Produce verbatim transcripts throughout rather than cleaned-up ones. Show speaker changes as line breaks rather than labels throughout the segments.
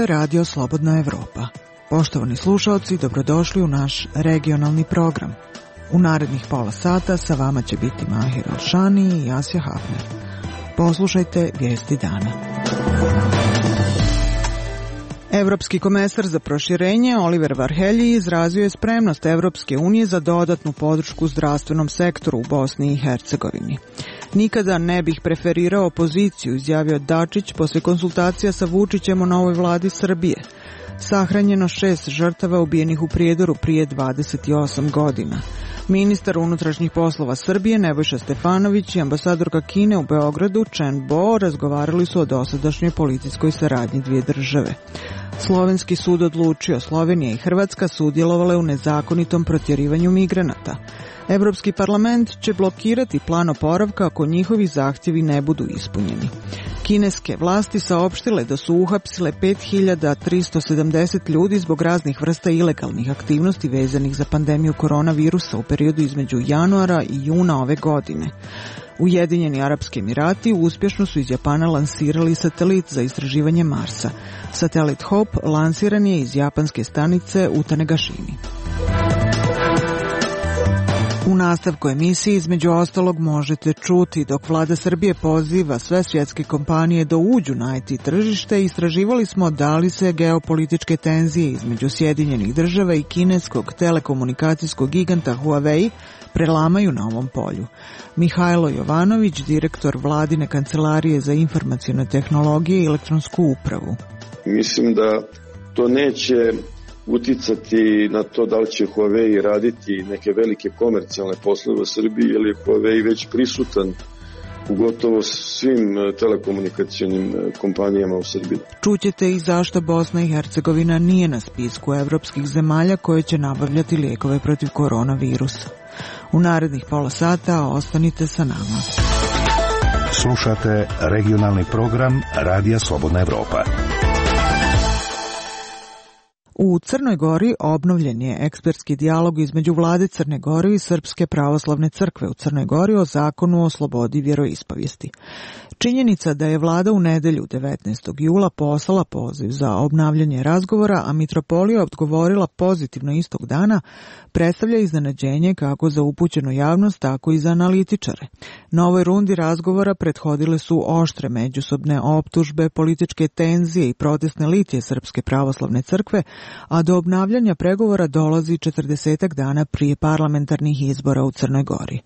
je Radio Slobodna Evropa. Poštovani slušaoci, dobrodošli u naš regionalni program. U narednih pola sata sa vama će biti Mahir Alšani i Asja Hafner. Poslušajte vijesti dana. Evropski komesar za proširenje Oliver Varhelji izrazio je spremnost Evropske unije za dodatnu podršku zdravstvenom sektoru u Bosni i Hercegovini. Nikada ne bih preferirao opoziciju, izjavio Dačić posle konsultacija sa Vučićem o novoj vladi Srbije. Sahranjeno šest žrtava ubijenih u Prijedoru prije dvadeset osam godina. Ministar unutrašnjih poslova Srbije Nebojša Stefanović i ambasadorka Kine u Beogradu Chen Bo razgovarali su o dosadašnjoj policijskoj saradnji dvije države. Slovenski sud odlučio, Slovenija i Hrvatska sudjelovale u nezakonitom protjerivanju migranata. Evropski parlament će blokirati plan oporavka ako njihovi zahtjevi ne budu ispunjeni. Kineske vlasti saopštile da su uhapsile pet hiljada tristo sedamdeset ljudi zbog raznih vrsta ilegalnih aktivnosti vezanih za pandemiju koronavirusa u periodu između januara i juna ove godine. Ujedinjeni Arapski Emirati uspješno su iz Japana lansirali satelit za istraživanje Marsa. Satelit Hope lansiran je iz japanske stanice u Tanegashimi. U nastavku emisije između ostalog možete čuti dok vlada Srbije poziva sve svjetske kompanije da uđu na I T tržište, istraživali smo da li se geopolitičke tenzije između Sjedinjenih država i kineskog telekomunikacijskog giganta Huawei prelamaju na ovom polju. Mihajlo Jovanović, direktor vladine kancelarije za informacione tehnologije i elektronsku upravu.
Mislim da to neće uticati na to da li će Huawei raditi neke velike komercijalne poslove u Srbiji, jer je Huawei već prisutan u gotovo svim telekomunikacionim kompanijama u Srbiji.
Čućete i zašto Bosna i Hercegovina nije na spisku evropskih zemalja koje će nabavljati lijekove protiv koronavirusa. U narednih pola sata ostanite sa nama.
Slušate regionalni program Radija Slobodna Evropa.
U Crnoj Gori obnovljen je ekspertski dijalog između vlade Crne Gore i Srpske pravoslavne crkve u Crnoj Gori o zakonu o slobodi vjeroispovijesti. Činjenica da je vlada u nedelju devetnaestog jula poslala poziv za obnavljanje razgovora, a mitropolija odgovorila pozitivno istog dana, predstavlja iznenađenje kako za upućenu javnost, tako i za analitičare. Novoj rundi razgovora prethodile su oštre međusobne optužbe, političke tenzije i protestne litije Srpske pravoslavne crkve, a do obnavljanja pregovora dolazi četrdesetak dana prije parlamentarnih izbora u Crnoj Gori.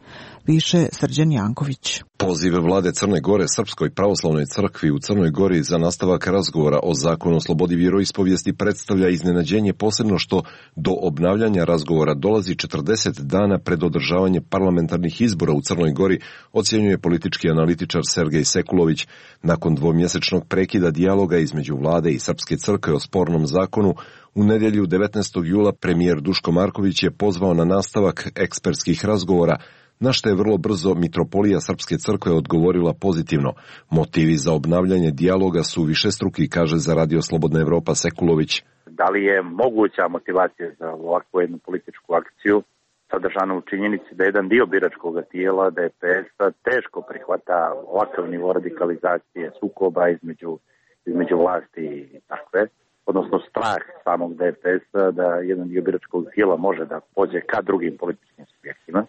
Više Srđan Janković.
Poziv vlade Crne Gore Srpskoj pravoslavnoj crkvi u Crnoj Gori za nastavak razgovora o zakonu o slobodi vjeroispovijesti predstavlja iznenađenje, posebno što do obnavljanja razgovora dolazi četrdeset dana pred održavanje parlamentarnih izbora u Crnoj Gori, ocjenjuje politički analitičar Sergej Sekulović. Nakon dvomjesečnog prekida dijaloga između vlade i Srpske crkve o spornom zakonu, u nedjelju devetnaestog jula premijer Duško Marković je pozvao na nastavak ekspertskih razgovora, na što je vrlo brzo mitropolija Srpske crkve odgovorila pozitivno. Motivi za obnavljanje dijaloga su višestruki, kaže za Radio Slobodna Evropa Sekulović.
Da li je moguća motivacija za ovakvu jednu političku akciju sadržana u činjenici da jedan dio biračkog tijela D P S-a teško prihvata ovakav nivo radikalizacije sukoba između, između vlasti i takve, odnosno strah samog D P S-a da jedan dio biračkog tijela može da pođe ka drugim političkim subjektima.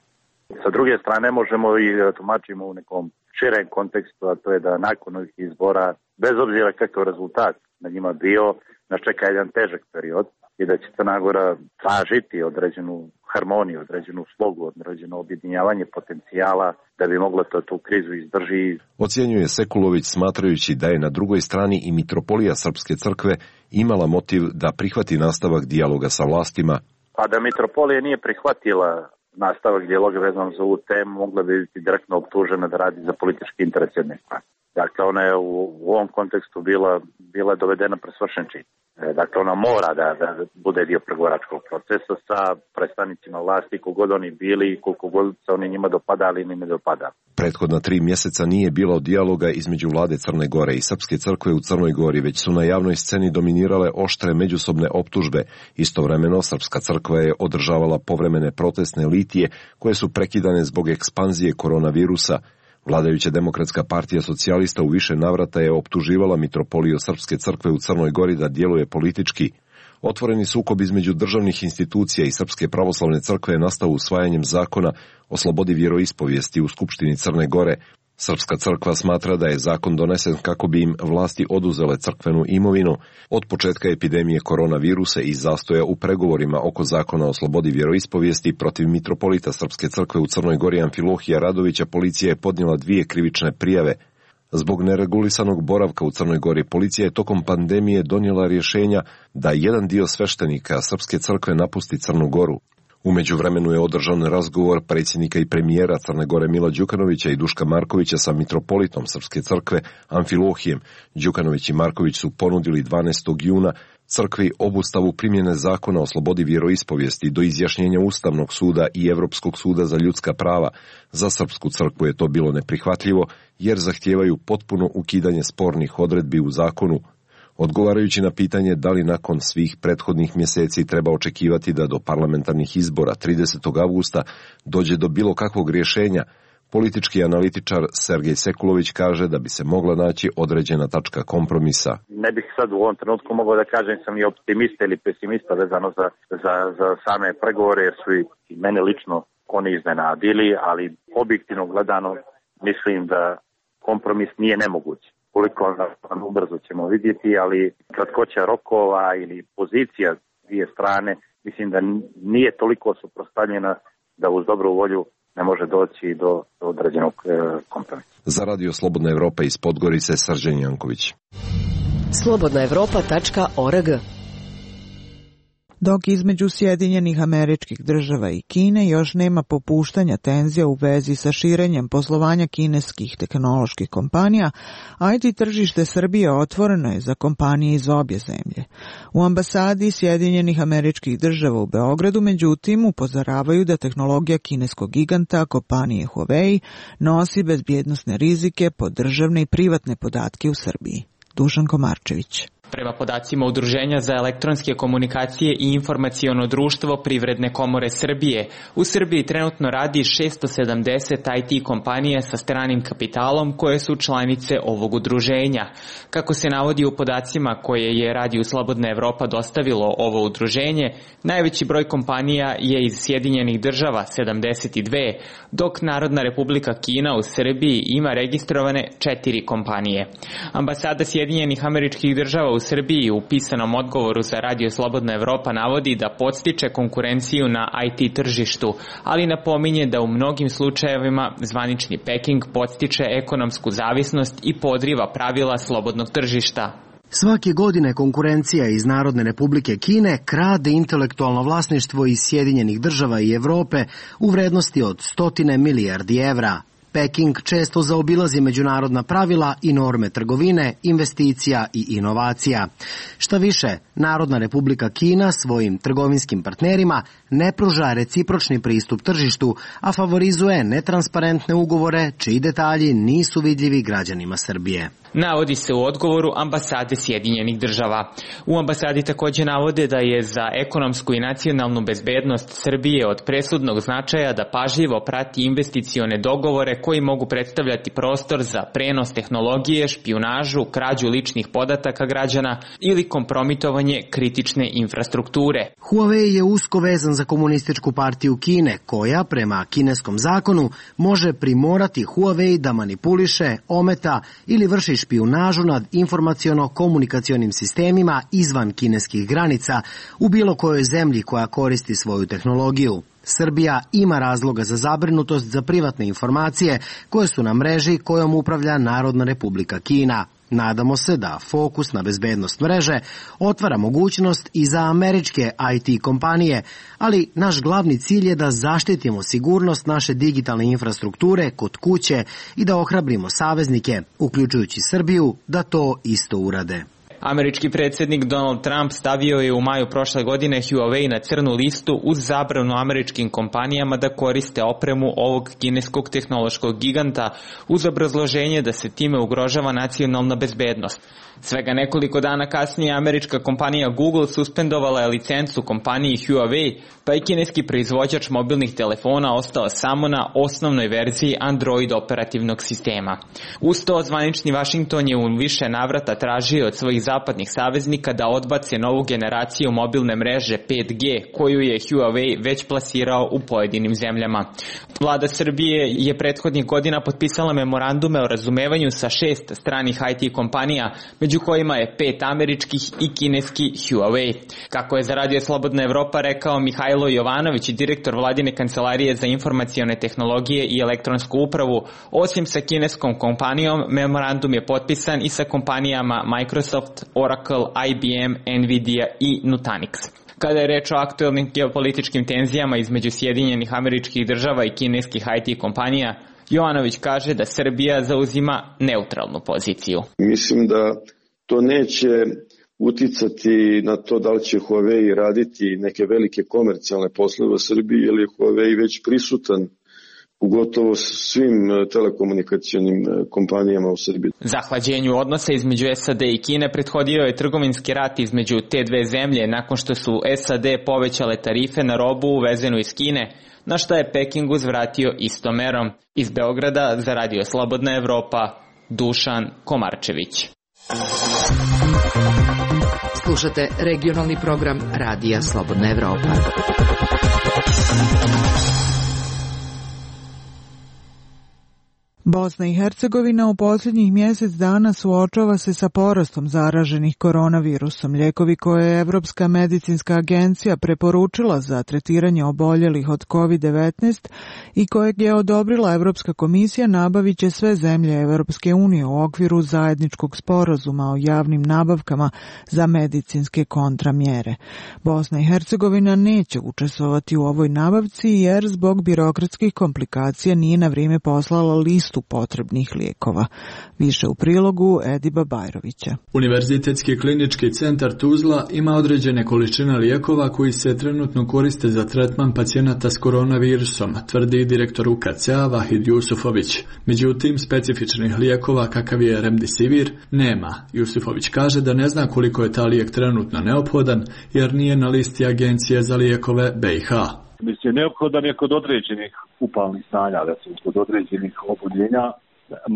Sa druge strane možemo i tumačimo u nekom širem kontekstu, a to je da nakon ovih izbora, bez obzira kakav rezultat na njima bio, nas čeka jedan težak period i da će Crna Gora tražiti određenu harmoniju, određenu slogu, određeno objedinjavanje potencijala da bi mogla to, tu krizu izdrži.
Ocjenjuje Sekulović, smatrajući da je na drugoj strani i mitropolija Srpske crkve imala motiv da prihvati nastavak dijaloga sa vlastima.
Pa da mitropolija nije prihvatila nastavak dijaloga vezan za ovu temu, mogla bi biti direktno optužena da radi za politički interes jedne strane. Dakle, ona je u, u ovom kontekstu bila, bila dovedena pred svršen čin. Dakle, ona mora da, da bude dio pregovaračkog procesa sa predstavnicima vlasti, kogod oni bili i koliko god se oni njima dopadali ili ne dopadali.
Prethodna tri mjeseca nije bilo dijaloga između vlade Crne Gore i Srpske crkve u Crnoj Gori, već su na javnoj sceni dominirale oštre međusobne optužbe. Istovremeno, Srpska crkva je održavala povremene protestne litije koje su prekidane zbog ekspanzije koronavirusa. Vladajuća Demokratska partija socijalista u više navrata je optuživala mitropoliju Srpske crkve u Crnoj Gori da djeluje politički. Otvoreni sukob između državnih institucija i Srpske pravoslavne crkve je nastao usvajanjem zakona o slobodi vjeroispovijesti u Skupštini Crne Gore. Srpska crkva smatra da je zakon donesen kako bi im vlasti oduzele crkvenu imovinu. Od početka epidemije koronavirusa i zastoja u pregovorima oko zakona o slobodi vjeroispovijesti protiv mitropolita Srpske crkve u Crnoj Gori Amfilohija Radovića policija je podnijela dvije krivične prijave. Zbog neregulisanog boravka u Crnoj Gori policija je tokom pandemije donijela rješenja da jedan dio sveštenika Srpske crkve napusti Crnu Goru. U međuvremenu je održan razgovor predsjednika i premijera Crne Gore Mila Đukanovića i Duška Markovića sa mitropolitom Srpske crkve Amfilohijem. Đukanović i Marković su ponudili dvanaestog juna crkvi obustavu primjene zakona o slobodi vjeroispovijesti do izjašnjenja Ustavnog suda i Europskog suda za ljudska prava. Za Srpsku crkvu je to bilo neprihvatljivo jer zahtijevaju potpuno ukidanje spornih odredbi u zakonu. Odgovarajući na pitanje da li nakon svih prethodnih mjeseci treba očekivati da do parlamentarnih izbora tridesetog avgusta dođe do bilo kakvog rješenja, politički analitičar Sergej Sekulović kaže da bi se mogla naći određena tačka kompromisa.
Ne bih sad u ovom trenutku mogao da kažem sam i optimista ili pesimista vezano za, za, za same pregovore, jer su i mene lično oni iznenadili, ali objektivno gledano mislim da kompromis nije nemoguć. Koliko on ubrzo ćemo vidjeti, ali kratkoća rokova ili pozicija dvije strane, mislim da nije toliko suprotstavljena da uz dobru volju ne može doći do, do određenog e, kompromisa.
Za Radio Slobodna Evropa iz Podgorice, Srđan Janković.
slobodna evropa tačka org.
Dok između Sjedinjenih Američkih Država i Kine još nema popuštanja tenzija u vezi sa širenjem poslovanja kineskih tehnoloških kompanija, I T tržište Srbije otvoreno je za kompanije iz obje zemlje. U ambasadi Sjedinjenih Američkih Država u Beogradu, međutim, upozoravaju da tehnologija kineskog giganta, kompanije Huawei, nosi bezbjednosne rizike po državne i privatne podatke u Srbiji. Dušan Komarčević.
Prema podacima Udruženja za elektronske komunikacije i informaciono društvo Privredne komore Srbije, u Srbiji trenutno radi šesto sedamdeset I T kompanija sa stranim kapitalom koje su članice ovog udruženja. Kako se navodi u podacima koje je Radio Slobodna Evropa dostavilo ovo udruženje, najveći broj kompanija je iz Sjedinjenih Država sedamdeset dve, dok Narodna Republika Kina u Srbiji ima registrovane četiri kompanije. Ambasada Sjedinjenih Američkih Država u Srbiji u pisanom odgovoru za Radio Slobodna Evropa navodi da podstiče konkurenciju na I T tržištu, ali napominje da u mnogim slučajevima zvanični Peking podstiče ekonomsku zavisnost i podriva pravila slobodnog tržišta.
Svake godine konkurencija iz Narodne Republike Kine krade intelektualno vlasništvo iz Sjedinjenih Država i Evrope u vrednosti od stotine milijardi evra. Peking često zaobilazi međunarodna pravila i norme trgovine, investicija i inovacija. Šta više, Narodna Republika Kina svojim trgovinskim partnerima ne pruža recipročni pristup tržištu, a favorizuje netransparentne ugovore čiji detalji nisu vidljivi građanima Srbije.
Navodi se u odgovoru ambasade Sjedinjenih Država. U ambasadi također navode da je za ekonomsku i nacionalnu bezbednost Srbije od presudnog značaja da pažljivo prati investicione dogovore koji mogu predstavljati prostor za prenos tehnologije, špijunažu, krađu ličnih podataka građana ili kompromitovanje kritične infrastrukture.
Huawei je usko vezan za Komunističku partiju Kine, koja prema kineskom zakonu može primorati Huawei da manipuliše, ometa ili vrši špijunažu nad informaciono-komunikacionim sistemima izvan kineskih granica u bilo kojoj zemlji koja koristi svoju tehnologiju. Srbija ima razloga za zabrinutost za privatne informacije koje su na mreži kojom upravlja Narodna Republika Kina. Nadamo se da fokus na bezbednost mreže otvara mogućnost i za američke I T kompanije, ali naš glavni cilj je da zaštitimo sigurnost naše digitalne infrastrukture kod kuće i da ohrabrimo saveznike, uključujući Srbiju, da to isto urade.
Američki predsjednik Donald Trump stavio je u maju prošle godine Huawei na crnu listu uz zabranu američkim kompanijama da koriste opremu ovog kineskog tehnološkog giganta uz obrazloženje da se time ugrožava nacionalna bezbednost. Svega nekoliko dana kasnije američka kompanija Google suspendovala je licencu kompaniji Huawei, pa je kineski proizvođač mobilnih telefona ostao samo na osnovnoj verziji Android operativnog sistema. Uz to, zvanični Washington je u više navrata tražio od svojih zapadnih saveznika da odbace novu generaciju mobilne mreže pet G, koju je Huawei već plasirao u pojedinim zemljama. Vlada Srbije je prethodnih godina potpisala memorandume o razumevanju sa šest stranih I T kompanija, među kojima je pet američkih i kineski Huawei. Kako je za Radio Slobodna Evropa rekao Mihajlo Jovanović, direktor vladine kancelarije za informacione tehnologije i elektronsku upravu, osim sa kineskom kompanijom, memorandum je potpisan i sa kompanijama Microsoft, Oracle, I B M, Nvidia i Nutanix. Kada je reč o aktuelnim geopolitičkim tenzijama između Sjedinjenih Američkih Država i kineskih I T kompanija, Jovanović kaže da Srbija zauzima neutralnu poziciju.
Mislim da to neće uticati na to da li će Huawei raditi neke velike komercijalne poslove u Srbiji, jer je Huawei već prisutan u gotovo svim telekomunikacionim kompanijama u Srbiji.
Zahlađenju odnosa između S A D i Kine prethodio je trgovinski rat između te dve zemlje nakon što su S A D povećale tarife na robu uvezenu iz Kine, na što je Peking uzvratio istom merom. Iz Beograda za Radio Slobodna Evropa, Dušan Komarčević.
Slušate regionalni program Radija Slobodna Evropa.
Bosna i Hercegovina u posljednjih mjesec dana suočava se sa porastom zaraženih koronavirusom. Lijekovi koje je Evropska medicinska agencija preporučila za tretiranje oboljelih od kovid devetnaest i kojeg je odobrila Evropska komisija nabavit će sve zemlje Evropske unije u okviru zajedničkog sporazuma o javnim nabavkama za medicinske kontramjere. Bosna i Hercegovina neće učestvovati u ovoj nabavci jer zbog birokratskih komplikacija nije na vrijeme poslala listu potrebnih lijekova. Više u prilogu Ediba Bajrovića.
Univerzitetski klinički centar Tuzla ima određene količine lijekova koji se trenutno koriste za tretman pacijenata s koronavirusom, tvrdi direktor U K C-a Vahid Jusufović. Međutim, specifičnih lijekova kakav je Remdesivir nema. Jusufović kaže da ne zna koliko je ta lijek trenutno neophodan jer nije na listi Agencije za lijekove B i H.
Mislim, neophodan je kod određenih upalnih stanja, recimo kod određenih oboljenja,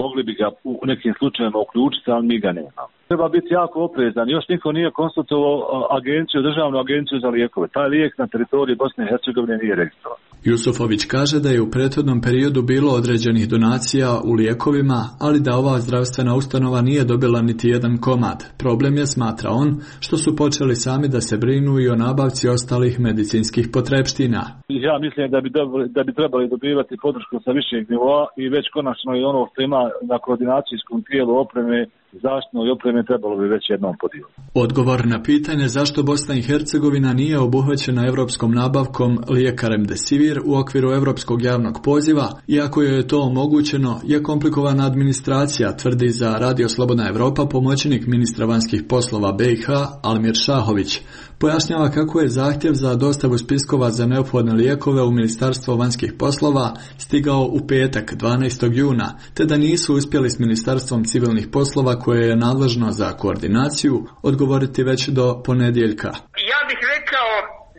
mogli bi ga u nekim slučajevima uključiti, ali mi ga nemamo. Treba biti jako oprezan. Još niko nije konsultovao agenciju, državnu agenciju za lijekove. Taj lijek na teritoriji Bosne i Hercegovine nije registrovan.
Jusufović kaže da je u prethodnom periodu bilo određenih donacija u lijekovima, ali da ova zdravstvena ustanova nije dobila niti jedan komad. Problem je, smatra on, što su počeli sami da se brinu i o nabavci ostalih medicinskih potrepština.
Ja mislim da bi, dobili, da bi trebali dobivati podršku sa višeg nivoa i već konačno i ono što ima na koordinacijskom tijelu opreme, zaštitnoj opreme trebalo bi već jednom podijeliti.
Odgovor na pitanje zašto Bosna i Hercegovina nije obuhvaćena evropskom nabavkom lijeka Remdesivir u okviru evropskog javnog poziva, iako joj je to omogućeno, je komplikovana administracija, tvrdi za Radio Slobodna Evropa pomoćnik ministra vanjskih poslova B i H Almir Šahović. Pojašnjava kako je zahtjev za dostavu spiskova za neophodne lijekove u Ministarstvo vanjskih poslova stigao u petak dvanaestog juna, te da nisu uspjeli s Ministarstvom civilnih poslova koje je nadležno za koordinaciju odgovoriti već do ponedjeljka.
Ja bih rekao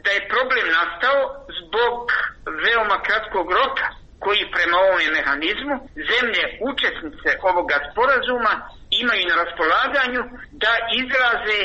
da je problem nastao zbog veoma kratkog roka koji prema ovom mehanizmu zemlje učesnice ovoga sporazuma imaju na raspolaganju da izraze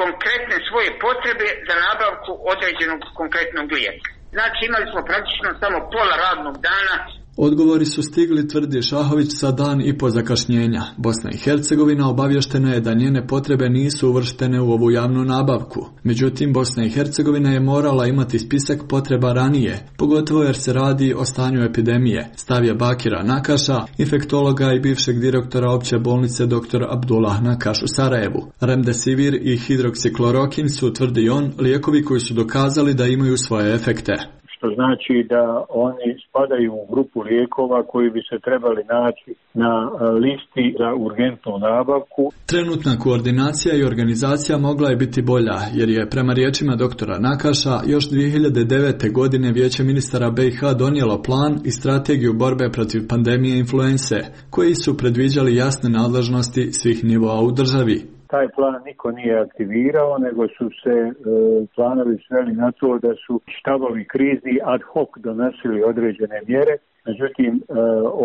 konkretne svoje potrebe za nabavku određenog konkretnog lijeka. Znači imali smo praktično samo pola radnog dana.
Odgovori su stigli, tvrdi Šahović, sa dan i po zakašnjenja. Bosna i Hercegovina obavještena je da njene potrebe nisu uvrštene u ovu javnu nabavku. Međutim, Bosna i Hercegovina je morala imati spisak potreba ranije, pogotovo jer se radi o stanju epidemije, stavlja Bakira Nakaša, infektologa i bivšeg direktora opće bolnice dr. Abdullah Nakaš u Sarajevu. Remdesivir i hidroksiklorokin su, tvrdi on, lijekovi koji su dokazali da imaju svoje efekte.
što znači da oni spadaju u grupu lijekova koji bi se trebali naći na listi za urgentnu nabavku.
Trenutna koordinacija i organizacija mogla je biti bolja, jer je prema riječima doktora Nakaša još dvije hiljade devete. godine Vijeće ministara B i H donijelo plan i strategiju borbe protiv pandemije influense, koji su predviđali jasne nadležnosti svih nivoa u državi.
Taj plan niko nije aktivirao, nego su se e, planovi sveli na to da su štabovi krizi ad hoc donosili određene mjere. Međutim, e,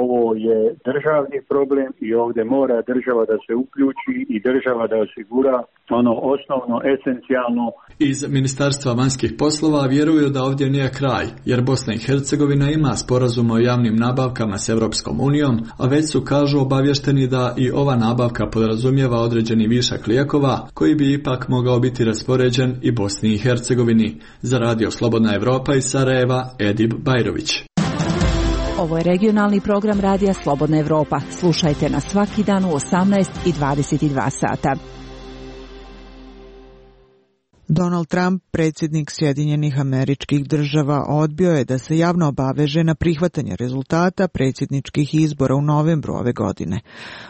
ovo je državni problem i ovdje mora država da se uključi i država da osigura ono osnovno, esencijalno.
Iz Ministarstva vanjskih poslova vjeruju da ovdje nije kraj, jer Bosna i Hercegovina ima sporazum o javnim nabavkama s Europskom unijom, a već su, kažu, obavješteni da i ova nabavka podrazumijeva određeni višak lijekova, koji bi ipak mogao biti raspoređen i Bosni i Hercegovini. Za Radio Slobodna Evropa iz Sarajeva, Edip Bajrović.
Ovo je regionalni program Radija Slobodna Evropa. Slušajte nas svaki dan u osamnaest i dvadeset dva sata.
Donald Trump, predsjednik Sjedinjenih Američkih Država, odbio je da se javno obaveže na prihvatanje rezultata predsjedničkih izbora u novembru ove godine.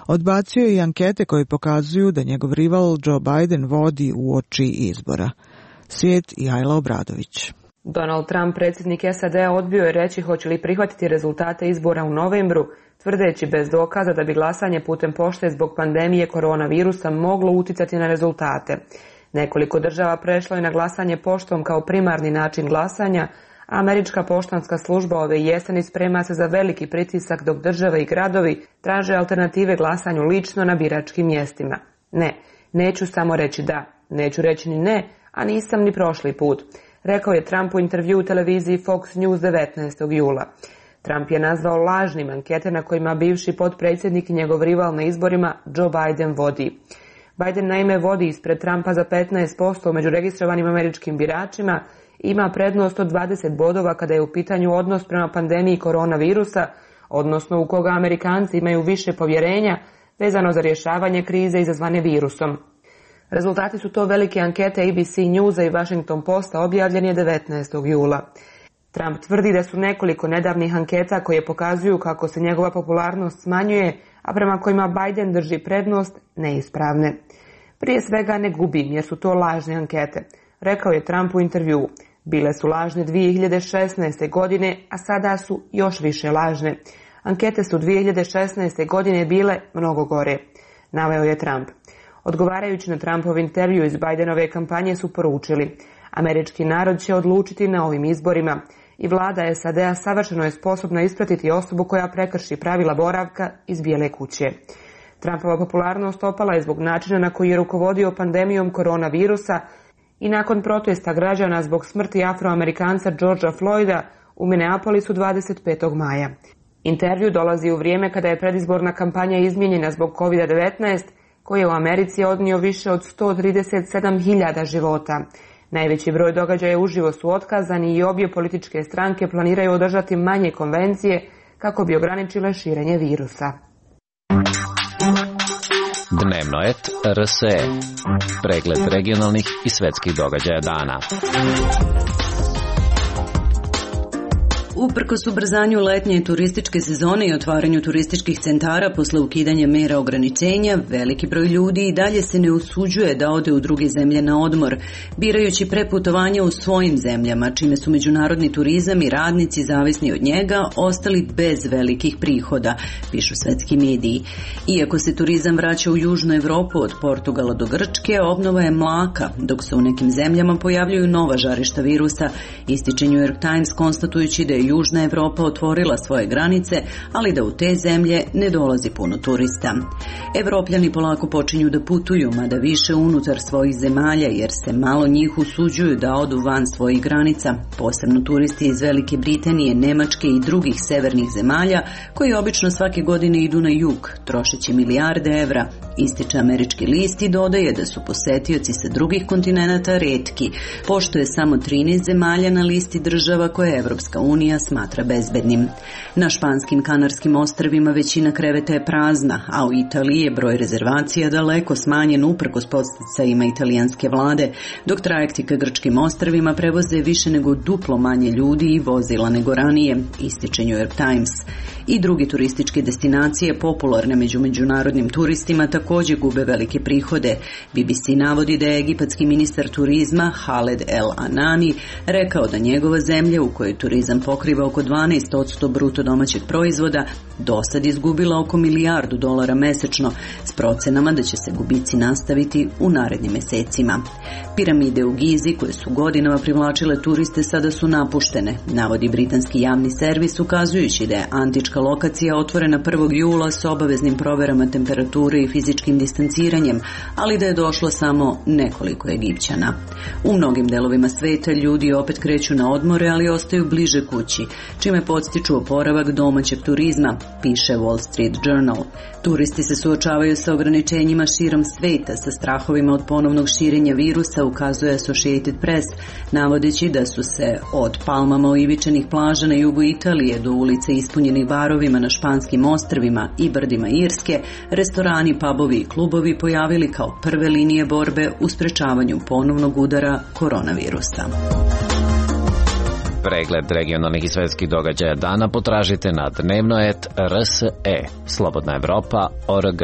Odbacio je i ankete koje pokazuju da njegov rival Joe Biden vodi uoči izbora. Svijet i Ajla Obradović.
Donald Trump, predsjednik S A D-a, odbio je reći hoće li prihvatiti rezultate izbora u novembru, tvrdeći bez dokaza da bi glasanje putem pošte zbog pandemije koronavirusa moglo uticati na rezultate. Nekoliko država prešlo je na glasanje poštom kao primarni način glasanja, a američka poštanska služba ove jeseni sprema se za veliki pritisak dok države i gradovi traže alternative glasanju lično na biračkim mjestima. Ne, neću samo reći da, neću reći ni ne, a nisam ni prošli put, rekao je Trump u intervju u televiziji Fox News devetnaestog jula. Trump je nazvao lažnim ankete na kojima bivši potpredsjednik i njegov rival na izborima Joe Biden vodi. Biden naime vodi ispred Trumpa za petnaest posto među registrovanim američkim biračima, ima prednost od dvadeset bodova kada je u pitanju odnos prema pandemiji koronavirusa, odnosno u koga Amerikanci imaju više povjerenja vezano za rješavanje krize izazvane virusom. Rezultati su to velike ankete A B C Newsa i Washington Posta objavljeni devetnaestog jula. Trump tvrdi da su nekoliko nedavnih anketa koje pokazuju kako se njegova popularnost smanjuje, a prema kojima Biden drži prednost, neispravne. Prije svega ne gubim jer su to lažne ankete, rekao je Trump u intervjuu. Bile su lažne dvije hiljade šesnaeste. godine, a sada su još više lažne. Ankete su dvije hiljade šesnaeste. godine bile mnogo gore, naveo je Trump. Odgovarajući na Trumpov intervju iz Bidenove kampanje su poručili: američki narod će odlučiti na ovim izborima i vlada S A D-a savršeno je sposobna ispratiti osobu koja prekrši pravila boravka iz Bijele kuće. Trumpova popularnost opala je zbog načina na koji je rukovodio pandemijom koronavirusa i nakon protesta građana zbog smrti Afroamerikanca Georgea Floyda u Minneapolisu dvadeset petog maja. Intervju dolazi u vrijeme kada je predizborna kampanja izmijenjena zbog kovid devetnaest, koji je u Americi odnio više od sto trideset sedam hiljada života. Najveći broj događaja uživo su otkazani i obje političke stranke planiraju održati manje konvencije kako bi ograničile širenje virusa.
Dnevno et R S E. Pregled regionalnih i svetskih događaja dana.
Uprkos ubrzanju letnje turističke sezone i otvaranju turističkih centara posle ukidanja mera ograničenja, veliki broj ljudi i dalje se ne usuđuje da ode u druge zemlje na odmor, birajući preputovanje u svojim zemljama, čime su međunarodni turizam i radnici zavisni od njega ostali bez velikih prihoda, pišu svetski mediji. Iako se turizam vraća u Južnu Evropu od Portugala do Grčke, obnova je mlaka, dok se u nekim zemljama pojavljuju nova žarišta virusa, ističe New York Times konstatujući da je Južna Evropa otvorila svoje granice, ali da u te zemlje ne dolazi puno turista. Evropljani polako počinju da putuju, mada više unutar svojih zemalja, jer se malo njih usuđuju da odu van svojih granica, posebno turisti iz Velike Britanije, Nemačke i drugih severnih zemalja, koji obično svake godine idu na jug, trošeći milijarde evra, ističe američki list i dodaje da su posetioci sa drugih kontinenata retki, pošto je samo trinaest zemalja na listi država koje Evropska unija smještenja smatra bezbednim. Na španskim Kanarskim ostrvima većina kreveta je prazna, a u Italiji je broj rezervacija daleko smanjen uprkos podsticajima italijanske vlade, dok trajekti ka grčkim ostrvima prevoze više nego duplo manje ljudi i vozila nego ranije, ističe New York Times. I drugi turističke destinacije popularne među međunarodnim turistima također gube velike prihode. B B C navodi da je egipatski ministar turizma Khaled El Anani rekao da njegova zemlja, u kojoj turizam pokriva oko dvanaest posto bruto domaćeg proizvoda, do sad izgubila oko milijardu dolara mesečno, s procenama da će se gubici nastaviti u narednim mesecima. Piramide u Gizi, koje su godinama privlačile turiste, sada su napuštene, navodi britanski javni servis, ukazujući da je antička lokacija otvorena prvog jula s obaveznim proverama temperature i fizičkim distanciranjem, ali da je došlo samo nekoliko Egipćana. U mnogim delovima sveta ljudi opet kreću na odmore, ali ostaju bliže kući, čime podstiču oporavak domaćeg turizma, piše Wall Street Journal. Turisti se suočavaju sa ograničenjima širom sveta, sa strahovima od ponovnog širenja virusa, ukazuje Associated Press, navodeći da su se od palmama oivičenih plaža na jugu Italije do ulica ispunjenih barovima na španskim ostrvima i brdima Irske, restorani, pubovi i klubovi pojavili kao prve linije borbe u sprečavanju ponovnog udara koronavirusa.
Pregled regionalnih i svetskih događaja dana potražite na dnevno et er s e, Slobodna Evropa tačka org.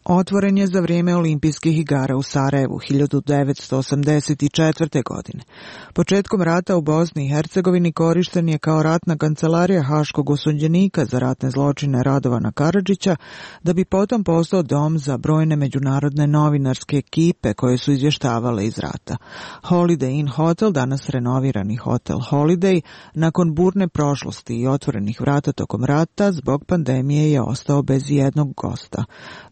Otvoren je za vrijeme olimpijskih igara u Sarajevu hiljadu devetsto osamdeset četvrte. godine. Početkom rata u Bosni i Hercegovini korišten je kao ratna kancelarija haškog osuđenika za ratne zločine Radovana Karadžića, da bi potom postao dom za brojne međunarodne novinarske ekipe koje su izvještavale iz rata. Holiday Inn Hotel, danas renovirani Hotel Holiday, nakon burne prošlosti i otvorenih vrata tokom rata, zbog pandemije je ostao bez jednog gosta.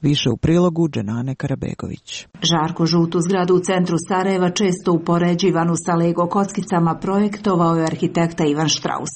Više u prilogu Dženane Karabegović.
Žarko žutu zgradu u centru Sarajeva, često upoređivanu sa Lego kockicama, projektovao je arhitekta Ivan Štraus.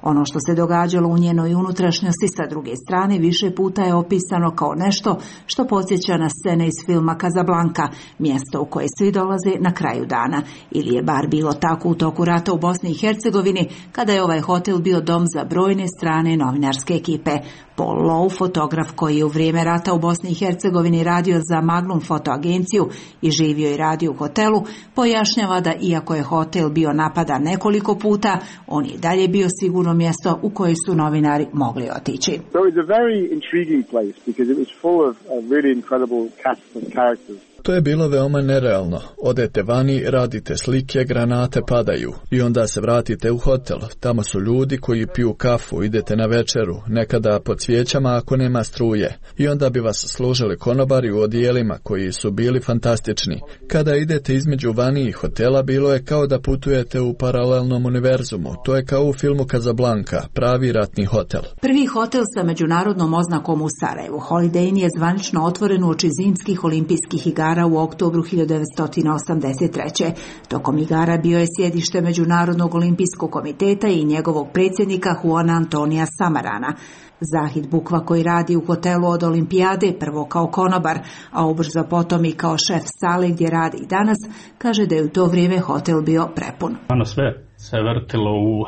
Ono što se događalo u njenoj unutrašnjosti sa druge strane više puta je opisano kao nešto što podsjeća na scene iz filma Casablanca, mjesto u koje svi dolaze na kraju dana. Ili je bar bilo tako u toku rata u Bosni i Hercegovini, kada je ovaj hotel bio dom za brojne strane novinarske ekipe. Paul Lowe, fotograf koji je u vrijeme rata u Bosni i Hercegovini radio za Magnum fotoagenciju i živio i radio u hotelu, pojašnjava da iako je hotel bio napadan nekoliko puta, on je dalje bio sigurno mjesto u koje su novinari mogli otići.
So it's a very intriguing place because it was full of a really incredible cast of characters.
To je bilo veoma nerealno. Odete vani, radite slike, granate padaju i onda se vratite u hotel. Tamo su ljudi koji piju kafu, idete na večeru, nekada pod svijećama ako nema struje. I onda bi vas služili konobari u odijelima koji su bili fantastični. Kada idete između vani i hotela, bilo je kao da putujete u paralelnom univerzumu. To je kao u filmu Casablanca, pravi ratni hotel.
Prvi hotel sa međunarodnom oznakom u Sarajevu, Holiday Inn, je zvanično otvoren uoči zimskih olimpijskih igara u oktobru hiljadu devetsto osamdeset treće. Tokom igara bio je sjedište Međunarodnog olimpijskog komiteta i njegovog predsjednika Juana Antonija Samarana. Zahid Bukva, koji radi u hotelu od olimpijade, prvo kao konobar, a ubrzo potom i kao šef sale gdje radi i danas, kaže da je u to vrijeme hotel bio prepun.
Ono sve se vrtilo u,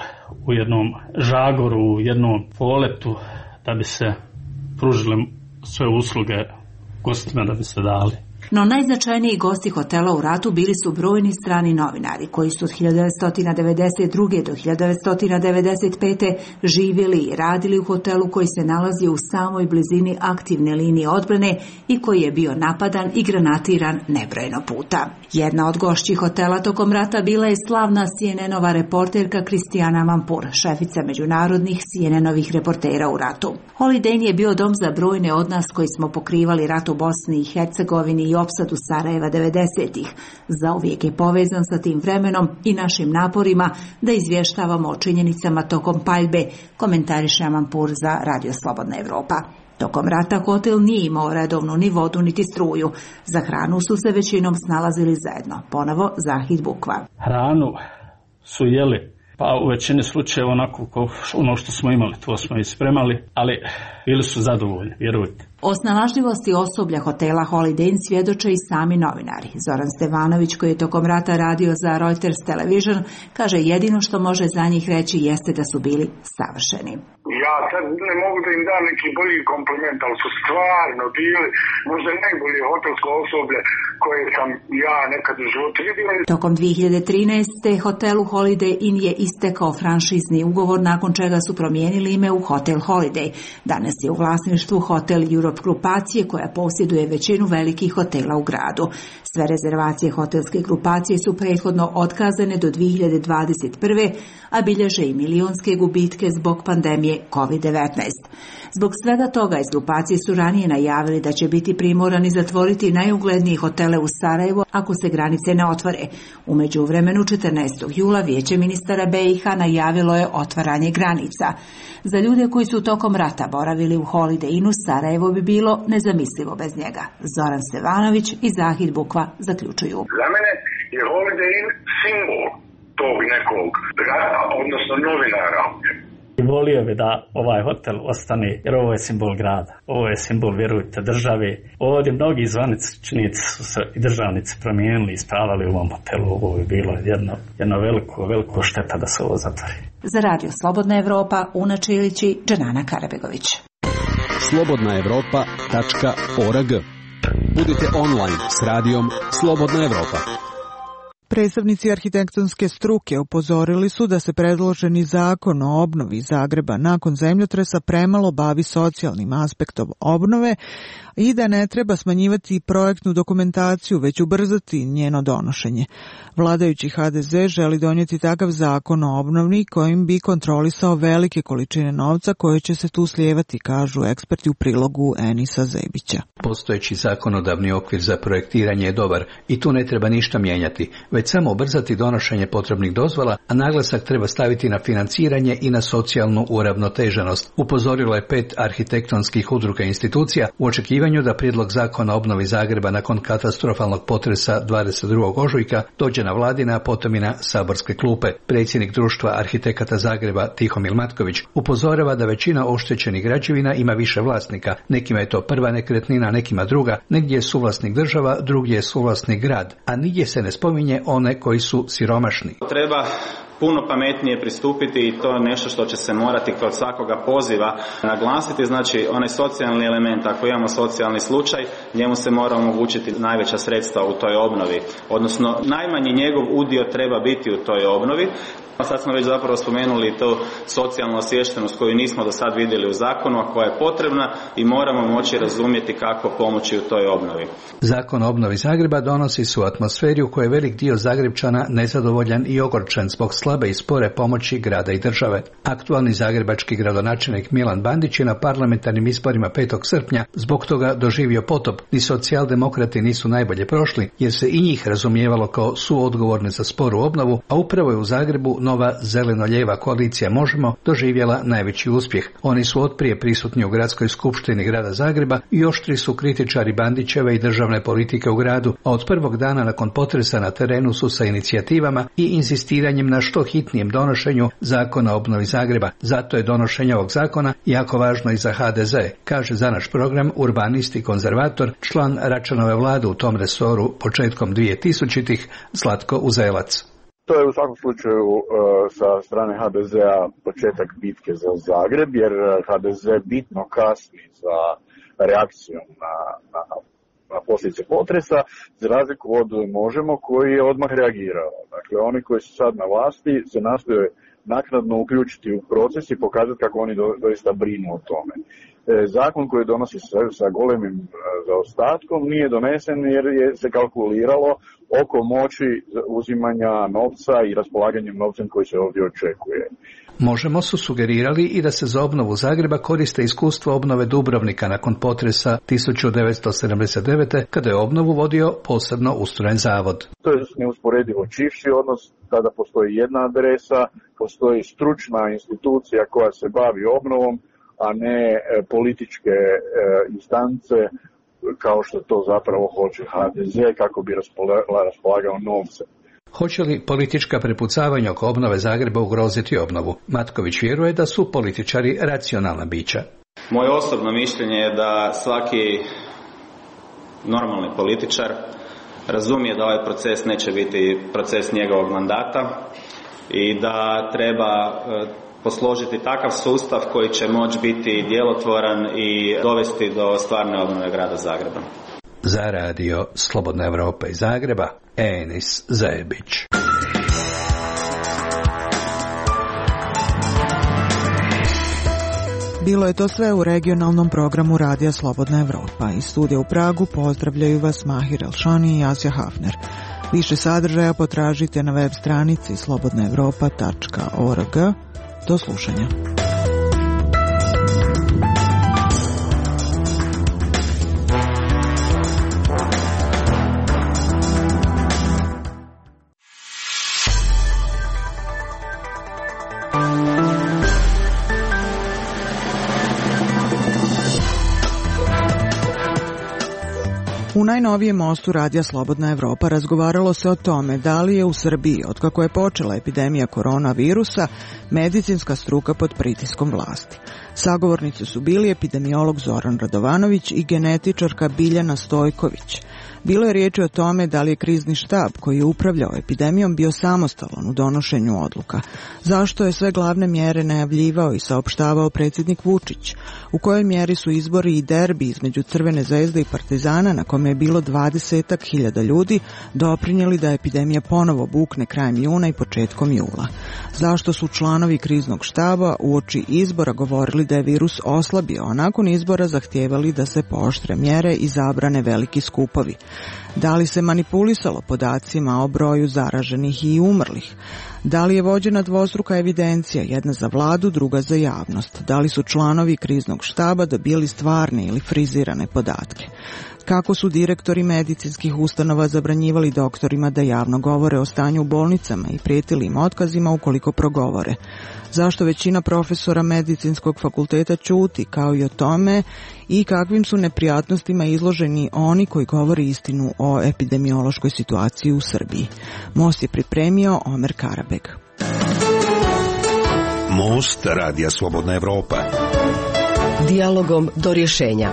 u jednom žagoru, u jednom poletu da bi se pružile sve usluge gostima, da bi se dali.
No najznačajniji gosti hotela u ratu bili su brojni strani novinari koji su od hiljadu devetsto devedeset druge. do hiljadu devetsto devedeset pete. živjeli i radili u hotelu koji se nalazi u samoj blizini aktivne linije odbrane i koji je bio napadan i granatiran nebrojeno puta. Jedna od gošći hotela tokom rata bila je slavna C N N-ova reporterka Kristijana Mampur, šefica međunarodnih C N N-ovih reportera u ratu. Holiday Inn je bio dom za brojne od nas koji smo pokrivali rat u Bosni i Hercegovini i opsadu Sarajeva devedesetih. Zauvijek je povezan sa tim vremenom i našim naporima da izvještavamo o činjenicama tokom paljbe, komentariše Mampur za Radio Slobodna Evropa. Tokom rata hotel nije imao redovnu ni vodu niti struju. Za hranu su se većinom snalazili zajedno. Ponovo Zahid Bukva.
Hranu su jeli Pa u većini slučajeva onako ono što smo imali, to smo i spremali, ali bili su zadovoljni, vjerujte.
O snalažljivosti osoblja hotela Holiday Inn svjedoče i sami novinari. Zoran Stevanović, koji je tokom rata radio za Reuters Television, kaže jedino što može za njih reći jeste da su bili savršeni.
Ja sad ne mogu da im dam neki bolji kompliment, ali su stvarno bili možda najbolje hotelsko osoblje koje sam ja nekad u životu vidio.
Tokom dvije hiljade trinaeste. hotelu Holiday Inn je istekao franšizni ugovor, nakon čega su promijenili ime u Hotel Holiday. Danas je u vlasništvu Hotel Europe grupacije koja posjeduje većinu velikih hotela u gradu. Sve rezervacije hotelske grupacije su prethodno otkazane do dvije hiljade dvadeset prve. a bilježe i milionske gubitke zbog pandemije kovid devetnaest. Zbog svega toga iz grupacije su ranije najavili da će biti primorani zatvoriti najuglednije hotele u Sarajevu ako se granice ne otvore. U međuvremenu četrnaestog jula Vijeće ministara B i H najavilo je otvaranje granica. Za ljude koji su tokom rata boravili u Holiday Innu, Sarajevo bi bilo nezamislivo bez njega. Zoran Stevanović i Zahid Bukva zaključuju.
Za mene je Holiday Inn simbol tog nekog rata, odnosno novinara.
Volio bi da ovaj hotel ostane, jer ovo je simbol grada. Ovo je simbol, vjerujte, države. Ovdje mnogi zvaničnici su se i državnici promijenili i ispravali u ovom hotelu. Ovo je bilo jedno, jedno veliko, veliko šteta da se ovo zatvori.
Za Radio Slobodna Evropa, Una Čilić i Džanana Karabegović.
slobodna evropa tačka org. Budite online s radijom Slobodna Evropa.
Predstavnici arhitektonske struke upozorili su da se predloženi zakon o obnovi Zagreba nakon zemljotresa premalo bavi socijalnim aspektom obnove i da ne treba smanjivati projektnu dokumentaciju, već ubrzati njeno donošenje. Vladajući H D Z želi donijeti takav zakon o obnovi kojim bi kontrolisao velike količine novca koje će se tu slijevati, kažu eksperti u prilogu Enisa Zebića.
Postojeći zakonodavni okvir za projektiranje je dobar i tu ne treba ništa mijenjati, već samo ubrzati donošenje potrebnih dozvola, a naglasak treba staviti na financiranje i na socijalnu uravnoteženost. Upozorilo je pet arhitektonskih udruga i institucija u očekivanju da prijedlog zakona o obnovi Zagreba nakon katastrofalnog potresa dvadeset drugog ožujka dođe na vladine, a potom i na saborske klupe. Predsjednik društva arhitekata Zagreba Tihomil Matković upozorava da većina oštećenih građevina ima više vlasnika. Nekima je to prva nekretnina, nekima druga, negdje je suvlasnik država, drugdje je suvlasnik grad, a nigdje se ne spominje one koji su siromašni.
Treba puno pametnije pristupiti i to je nešto što će se morati kod svakoga poziva naglasiti, znači onaj socijalni element, ako imamo socijalni slučaj, njemu se mora omogućiti najveća sredstva u toj obnovi, odnosno najmanji njegov udio treba biti u toj obnovi. Sad smo već zapravo spomenuli to socijalnu osviještenost koju nismo do sad vidjeli u zakonu, a koja je potrebna i moramo moći razumjeti kako pomoći u toj obnovi.
Zakon o obnovi Zagreba donosi se u atmosferi u kojoj je velik dio Zagrepčana nezadovoljan i ogorčen zbog slabe i spore pomoći grada i države. Aktualni zagrebački gradonačelnik Milan Bandić je na parlamentarnim izborima petog srpnja zbog toga doživio potop. Ni socijaldemokrati nisu najbolje prošli, jer se i njih razumijevalo kao suodgovorne za sporu obnovu, a upravo je u Zagrebu nova zeleno-lijeva koalicija Možemo doživjela najveći uspjeh. Oni su otprije prisutni u gradskoj skupštini grada Zagreba i oštri su kritičari Bandićeve i državne politike u gradu, a od prvog dana nakon potresa na terenu su sa inicijativama i inzistiranjem na što hitnijem donošenju zakona o obnovi Zagreba. Zato je donošenje ovog zakona jako važno i za H D Z, kaže za naš program urbanist i konzervator, član Račanove vlade u tom resoru početkom dvije tisućitih Zlatko Uzelac.
To je u svakom slučaju uh, sa strane H D Z-a početak bitke za Zagreb, jer H D Z bitno kasni za reakcijom na, na, na posljedice potresa, za razliku od Možemo koji je odmah reagirao. Dakle, oni koji su sad na vlasti se nastoje naknadno uključiti u proces i pokazati kako oni do, doista brinu o tome. E, zakon koji donosi sa, sa golemim e, zaostatkom nije donesen jer je se kalkuliralo oko moći uzimanja novca i raspolaganjem novcem koji se ovdje očekuje.
Možemo su sugerirali i da se za obnovu Zagreba koriste iskustvo obnove Dubrovnika nakon potresa tisuću devetsto sedamdeset devete. kada je obnovu vodio posebno ustrojen zavod.
To je neusporedivo čivši odnos, kada postoji jedna adresa, postoji stručna institucija koja se bavi obnovom, a ne političke e, instance kao što to zapravo hoće H D Z kako bi raspolagao novcem.
Hoće li politička prepucavanja oko obnove Zagreba ugroziti obnovu? Matković vjeruje da su političari racionalna bića.
Moje osobno mišljenje je da svaki normalni političar razumije da ovaj proces neće biti proces njegovog mandata i da treba posložiti takav sustav koji će moći biti djelotvoran i dovesti do stvarne obnove grada Zagreba.
Za radio Slobodna Evropa iz Zagreba, Enis Zajebić.
Bilo je to sve u regionalnom programu Radija Slobodna Evropa. Iz studija u Pragu pozdravljaju vas Mahir Elšani i Asja Hafner. Više sadržaja potražite na web stranici slobodna evropa tačka org. Do slušanja. U najnovijem mostu Radija Slobodna Evropa razgovaralo se o tome da li je u Srbiji, otkako je počela epidemija koronavirusa, medicinska struka pod pritiskom vlasti. Sagovornici su bili epidemiolog Zoran Radovanović i genetičarka Biljana Stojković. Bilo je riječi o tome da li je krizni štab koji je upravljao epidemijom bio samostalan u donošenju odluka. Zašto je sve glavne mjere najavljivao i saopštavao predsjednik Vučić? U kojoj mjeri su izbori i derbi između Crvene zvezde i Partizana, na kome je bilo dvadesetak hiljada ljudi, doprinijeli da epidemija ponovo bukne krajem juna i početkom jula? Zašto su članovi kriznog štaba uoči izbora govorili da je virus oslabio, a nakon izbora zahtijevali da se pooštre mjere i zabrane veliki skupovi? Da li se manipulisalo podacima o broju zaraženih i umrlih? Da li je vođena dvostruka evidencija, jedna za vladu, druga za javnost? Da li su članovi kriznog štaba dobili stvarne ili frizirane podatke? Kako su direktori medicinskih ustanova zabranjivali doktorima da javno govore o stanju u bolnicama i prijetili im otkazima ukoliko progovore? Zašto većina profesora medicinskog fakulteta ćuti, kao i o tome i kakvim su neprijatnostima izloženi oni koji govori istinu o epidemiološkoj situaciji u Srbiji? Most je pripremio Omer Karabeg.
Most Radija Slobodna Evropa.
Dijalogom do rješenja.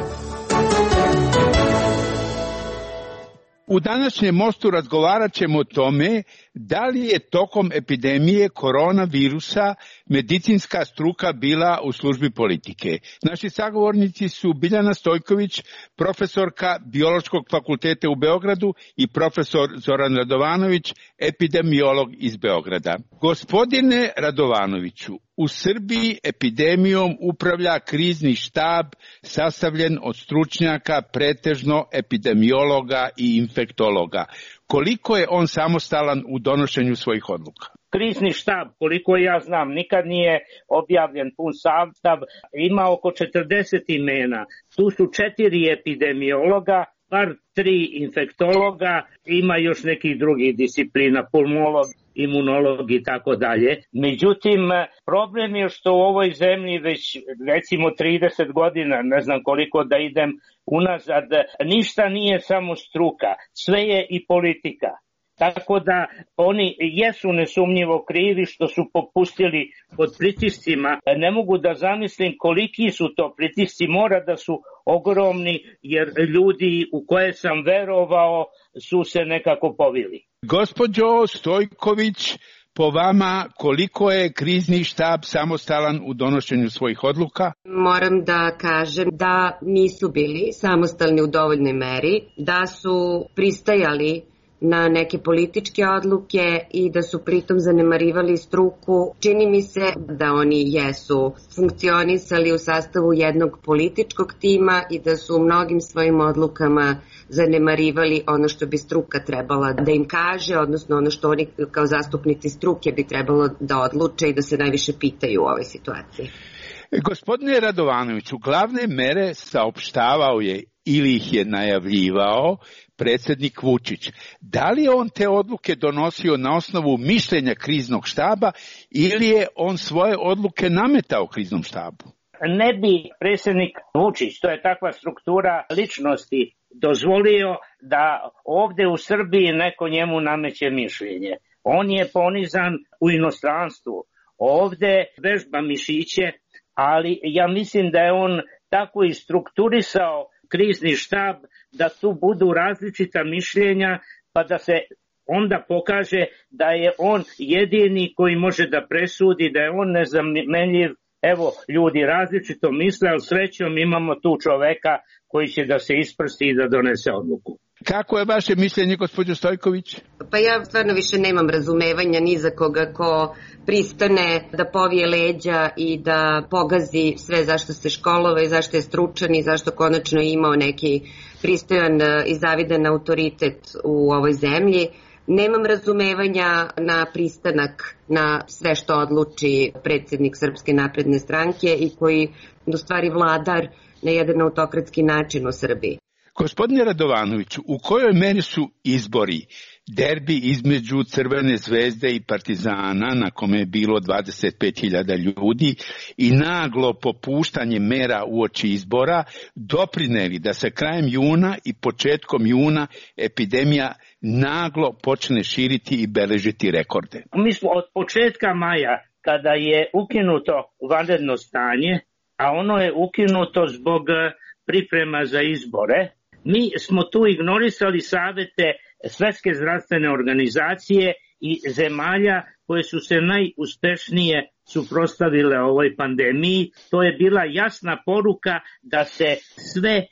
U današnjem mostu razgovarat ćemo o tome da li je tokom epidemije koronavirusa medicinska struka bila u službi politike. Naši sagovornici su Biljana Stojković, profesorka Biološkog fakulteta u Beogradu i profesor Zoran Radovanović, epidemiolog iz Beograda. Gospodine Radovanoviću, u Srbiji epidemijom upravlja krizni štab sastavljen od stručnjaka, pretežno epidemiologa i infektologa. Koliko je on samostalan u donošenju svojih odluka?
Krizni štab, koliko ja znam, nikad nije objavljen pun sastav, ima oko četrdeset imena. Tu su četiri epidemiologa, bar tri infektologa, ima još nekih drugih disciplina, pulmolog, imunolog i tako dalje. Međutim, problem je što u ovoj zemlji već recimo trideset godina, ne znam koliko da idem unazad, ništa nije samo struka, sve je i politika. Tako da oni jesu nesumnjivo krivi što su popustili pod pritiscima. Ne mogu da zamislim koliki su to pritisci, mora da su ogromni jer ljudi u koje sam verovao su se nekako povili.
Gospođo Stojković, po vama koliko je krizni štab samostalan u donošenju svojih odluka?
Moram da kažem da nisu bili samostalni u dovoljnoj meri, da su pristajali na neke političke odluke i da su pritom zanemarivali struku. Čini mi se da oni jesu funkcionisali u sastavu jednog političkog tima i da su u mnogim svojim odlukama zanemarivali ono što bi struka trebala da im kaže, odnosno ono što oni kao zastupnici struke bi trebalo da odluče i da se najviše pitaju u ovoj situaciji.
Gospodine Radovanoviću, glavne mere saopštavao je ili ih je najavljivao predsjednik Vučić. Da li je on te odluke donosio na osnovu mišljenja kriznog štaba ili je on svoje odluke nametao kriznom štabu?
Ne bi predsjednik Vučić, to je takva struktura ličnosti, dozvolio da ovdje u Srbiji neko njemu nameće mišljenje. On je ponizan u inostranstvu. Ovde vežba mišiće, ali ja mislim da je on tako i strukturisao krizni štab da tu budu različita mišljenja, pa da se onda pokaže da je on jedini koji može da presudi, da je on nezamenljiv. Evo, ljudi različito misle, ali srećom imamo tu čoveka koji će da se isprsti i da donese odluku.
Kako je vaše mišljenje, gospođo Stojković?
Pa ja stvarno više nemam razumevanja ni za koga ko pristane da povije leđa i da pogazi sve zašto se školovao i zašto je stručan i zašto konačno je imao neki pristojan i zavidan autoritet u ovoj zemlji. Nemam razumevanja na pristanak na sve što odluči predsjednik Srpske napredne stranke i koji u stvari vladar na jedan autokratski način u Srbiji.
Gospodine Radovanoviću, u kojoj meri su izbori, derbi između Crvene zvezde i Partizana, na kome je bilo dvadeset pet hiljada ljudi, i naglo popuštanje mera uoči izbora doprineli da se krajem juna i početkom juna epidemija naglo počne širiti i beležiti rekorde?
Mi smo od početka maja, kada je ukinuto vanredno stanje, a ono je ukinuto zbog priprema za izbore, mi smo tu ignorisali savete Svetske zdravstvene organizacije i zemalja koje su se najuspešnije suprotstavile ovoj pandemiji. To je bila jasna poruka da se sve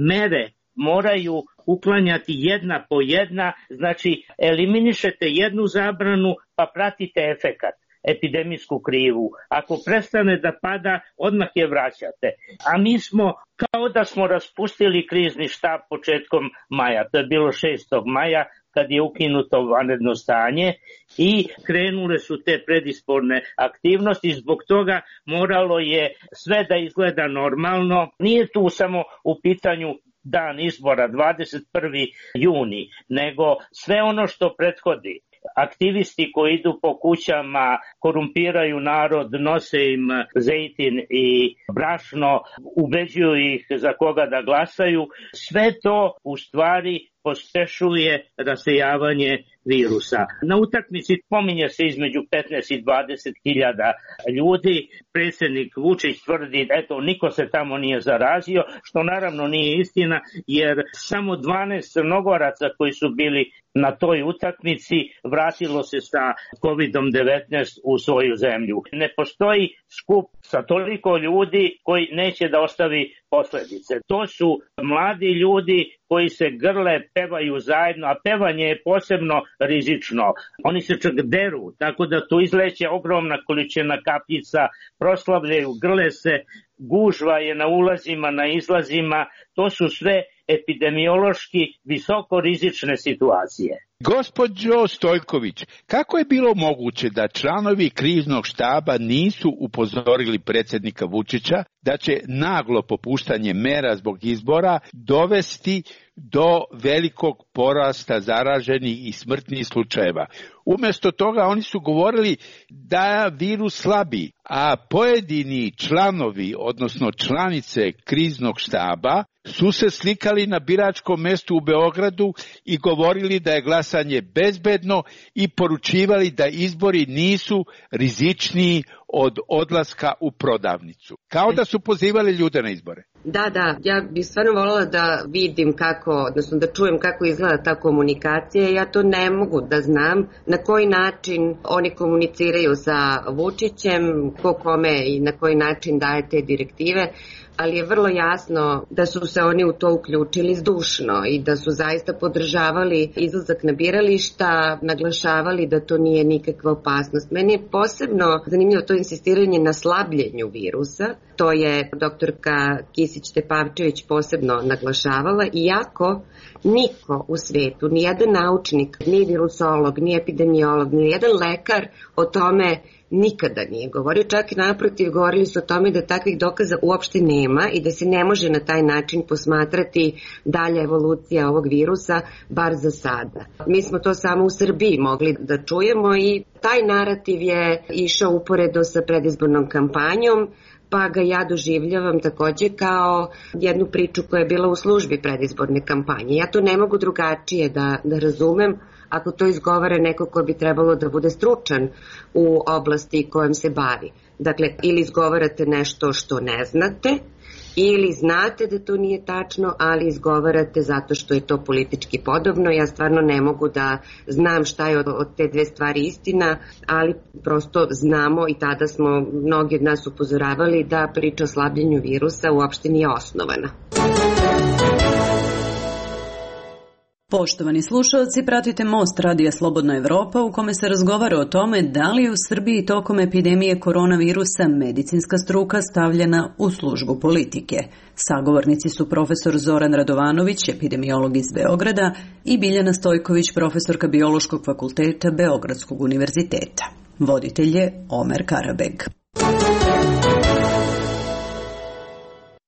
mere moraju uklanjati jedna po jedna, znači eliminišete jednu zabranu pa pratite efekat, epidemijsku krivu. Ako prestane da pada, odmah je vraćate. A mi smo kao da smo raspustili krizni štab početkom maja, to je bilo šestog maja, kad je ukinuto vanredno stanje i krenule su te predizborne aktivnosti. Zbog toga moralo je sve da izgleda normalno. Nije tu samo u pitanju dan izbora, dvadeset prvi juni, nego sve ono što prethodi. Aktivisti koji idu po kućama, korumpiraju narod, nose im zejtin i brašno, ubeđuju ih za koga da glasaju. Sve to u stvari pospešuje rasejavanje virusa. Na utakmici pominje se između petnaest i dvadeset hiljada ljudi. Predsjednik Vučić tvrdi, eto, niko se tamo nije zarazio, što naravno nije istina, jer samo dvanaest Crnogoraca koji su bili na toj utakmici vratilo se sa kovidom devetnaest u svoju zemlju. Ne postoji skup sa toliko ljudi koji neće da ostavi posledice. To su mladi ljudi koji se grle, pevaju zajedno, a pevanje je posebno rizično. Oni se čak deru, tako da tu izleće ogromna količina kapljica, proslavljaju, grle se, gužva je na ulazima, na izlazima. To su sve epidemiološki visoko rizične situacije.
Gospođo Stojković, kako je bilo moguće da članovi kriznog štaba nisu upozorili predsjednika Vučića da će naglo popuštanje mera zbog izbora dovesti do velikog porasta zaraženih i smrtnih slučajeva? Umjesto toga oni su govorili da virus slabi, a pojedini članovi, odnosno članice kriznog štaba, su se slikali na biračkom mestu u Beogradu i govorili da je glasanje bezbedno i poručivali da izbori nisu rizičniji od odlaska u prodavnicu. Kao da su pozivali ljude na izbore.
Da, da, ja bih stvarno voljela da vidim kako, odnosno da čujem kako izgleda ta komunikacija. Ja to ne mogu da znam na koji način oni komuniciraju sa Vučićem, ko kome i na koji način daje te direktive, ali je vrlo jasno da su se oni u to uključili zdušno i da su zaista podržavali izlazak na birališta, naglašavali da to nije nikakva opasnost. Meni je posebno zanimljivo to insistiranje na slabljenju virusa, to je doktorka Kisić-Tepavčević posebno naglašavala, iako niko u svetu, ni jedan naučnik, ni virusolog, ni epidemiolog, ni jedan lekar o tome nikada nije govorio, čak i naprotiv govorili su o tome da takvih dokaza uopšte nema i da se ne može na taj način posmatrati dalja evolucija ovog virusa, bar za sada. Mi smo to samo u Srbiji mogli da čujemo i taj narativ je išao uporedo sa predizbornom kampanjom, pa ga ja doživljavam takođe kao jednu priču koja je bila u službi predizborne kampanje. Ja to ne mogu drugačije da, da razumem, ako to izgovara neko ko bi trebalo da bude stručan u oblasti kojom se bavi. Dakle, ili izgovarate nešto što ne znate, ili znate da to nije tačno, ali izgovarate zato što je to politički podobno. Ja stvarno ne mogu da znam šta je od, od te dve stvari istina, ali prosto znamo i tada smo mnogi od nas upozoravali da priča o slabljenju virusa uopšte nije osnovana.
Poštovani slušalci, pratite Most Radija Slobodna Evropa u kome se razgovara o tome da li je u Srbiji tokom epidemije koronavirusa medicinska struka stavljena u službu politike. Sagovornici su profesor Zoran Radovanović, epidemiolog iz Beograda, i Biljana Stojković, profesorka Biološkog fakulteta Beogradskog univerziteta. Voditelj je Omer Karabeg.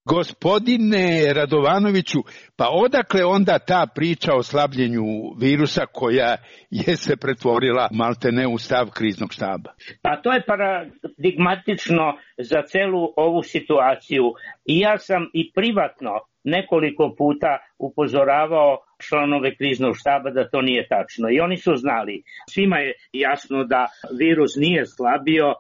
Gospodine Radovanoviću, pa odakle onda ta priča o slabljenju virusa koja je se pretvorila maltene u stav kriznog štaba?
Pa to je paradigmatično za celu ovu situaciju. I ja sam i privatno nekoliko puta upozoravao članove kriznog štaba da to nije tačno. I oni su znali. Svima je jasno da virus nije slabio.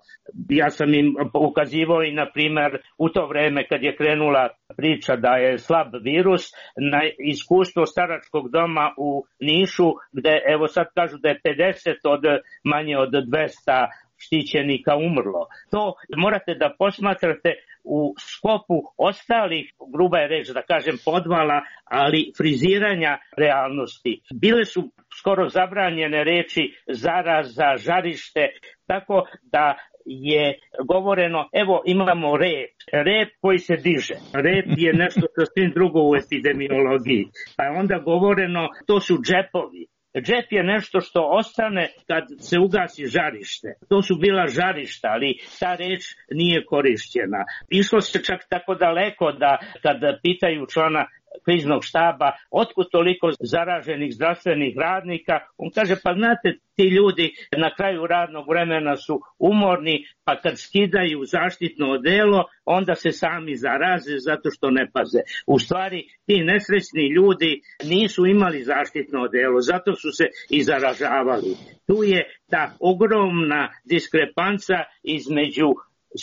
Ja sam im ukazivao i, na primjer, u to vreme kad je krenula priča da je slab virus, na iskustvo staračkog doma u Nišu, gde evo sad kažu da je pedeset od manje od dvesta štićenika umrlo. To morate da posmatrate u skopu ostalih, gruba je reč da kažem podvala, ali friziranja realnosti. Bile su skoro zabranjene reči zaraza, žarište, tako da je govoreno, evo imamo rep, rep koji se diže. Rep je nešto sasvim drugo u epidemiologiji. Pa je onda govoreno, to su džepovi. Džep je nešto što ostane kad se ugasi žarište. To su bila žarišta, ali ta reč nije korišćena. Išlo se čak tako daleko da kad pitaju člana kriznog štaba otkud toliko zaraženih zdravstvenih radnika, on kaže pa znate ti ljudi na kraju radnog vremena su umorni, pa kad skidaju zaštitno odelo onda se sami zaraze zato što ne paze. U stvari ti nesrećni ljudi nisu imali zaštitno odelo, zato su se i zaražavali. Tu je ta ogromna diskrepanca između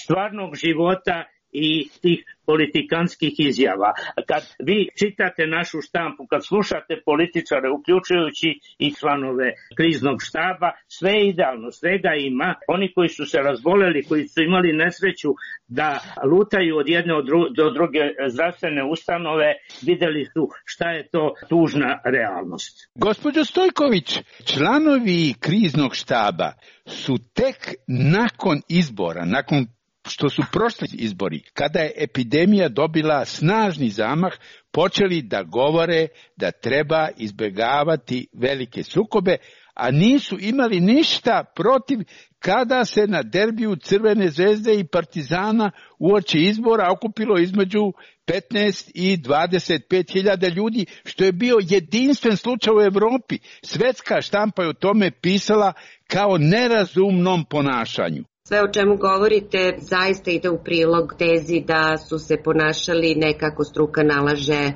stvarnog života i tih politikanskih izjava. Kad vi čitate našu štampu, kad slušate političare, uključujući i članove kriznog štaba, sve je idealno, svega ima. Oni koji su se razboleli, koji su imali nesreću da lutaju od jedne do druge zdravstvene ustanove, videli su šta je to tužna realnost.
Gospođo Stojković, članovi kriznog štaba su tek nakon izbora, nakon što su prošli izbori, kada je epidemija dobila snažni zamah, počeli da govore da treba izbjegavati velike sukobe, a nisu imali ništa protiv kada se na derbiju Crvene zvezde i Partizana uoči izbora okupilo između petnaest i dvadeset pet hiljada ljudi, što je bio jedinstven slučaj u Evropi. Svetska štampa je o tome pisala kao nerazumnom ponašanju.
Sve o čemu govorite zaista ide u prilog tezi da su se ponašali ne kako struka nalaže,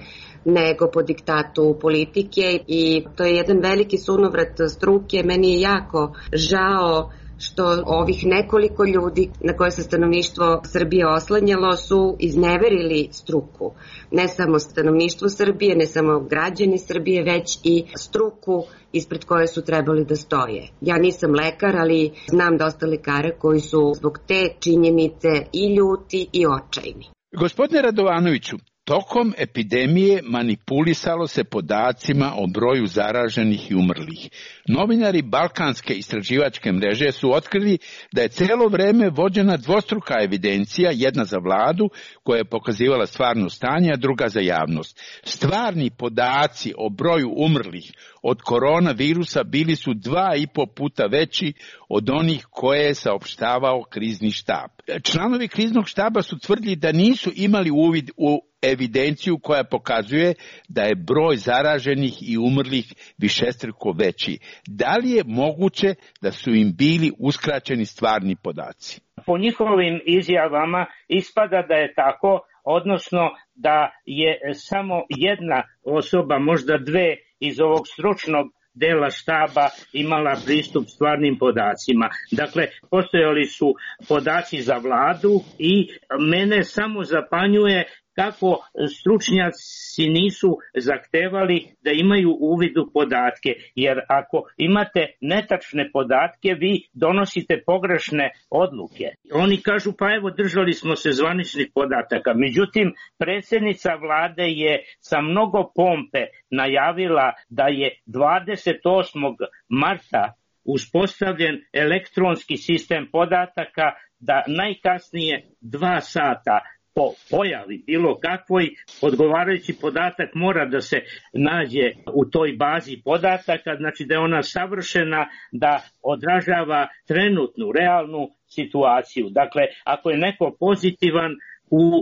nego po diktatu politike, i to je jedan veliki sunovrat struke. Meni je jako žao što ovih nekoliko ljudi na koje se stanovništvo Srbije oslanjalo su izneverili struku. Ne samo stanovništvo Srbije, ne samo građani Srbije, već i struku ispred koje su trebali da stoje. Ja nisam lekar, ali znam dosta lekara koji su zbog te činjenice i ljuti i očajni.
Gospodine Radovanoviću, tokom epidemije manipulisalo se podacima o broju zaraženih i umrlih. Novinari Balkanske istraživačke mreže su otkrili da je celo vreme vođena dvostruka evidencija, jedna za vladu koja je pokazivala stvarno stanje, a druga za javnost. Stvarni podaci o broju umrlih od koronavirusa bili su dva i po puta veći od onih koje je saopštavao krizni štab. Članovi kriznog štaba su tvrdili da nisu imali uvid u evidenciju koja pokazuje da je broj zaraženih i umrlih višestruko veći. Da li je moguće da su im bili uskraćeni stvarni podaci?
Po njihovim izjavama ispada da je tako, odnosno da je samo jedna osoba, možda dve iz ovog stručnog dela štaba imala pristup stvarnim podacima. Dakle, postojali su podaci za vladu i mene samo zapanjuje kako stručnjaci nisu zahtevali da imaju uvid u podatke, jer ako imate netačne podatke, vi donosite pogrešne odluke. Oni kažu, pa evo, držali smo se zvaničnih podataka. Međutim, predsjednica vlade je sa mnogo pompe najavila da je dvadeset osmog marta uspostavljen elektronski sistem podataka, da najkasnije dva sata po pojavi bilo kakvoj odgovarajući podatak mora da se nađe u toj bazi podataka, znači da je ona savršena, da odražava trenutnu, realnu situaciju. Dakle, ako je neko pozitivan,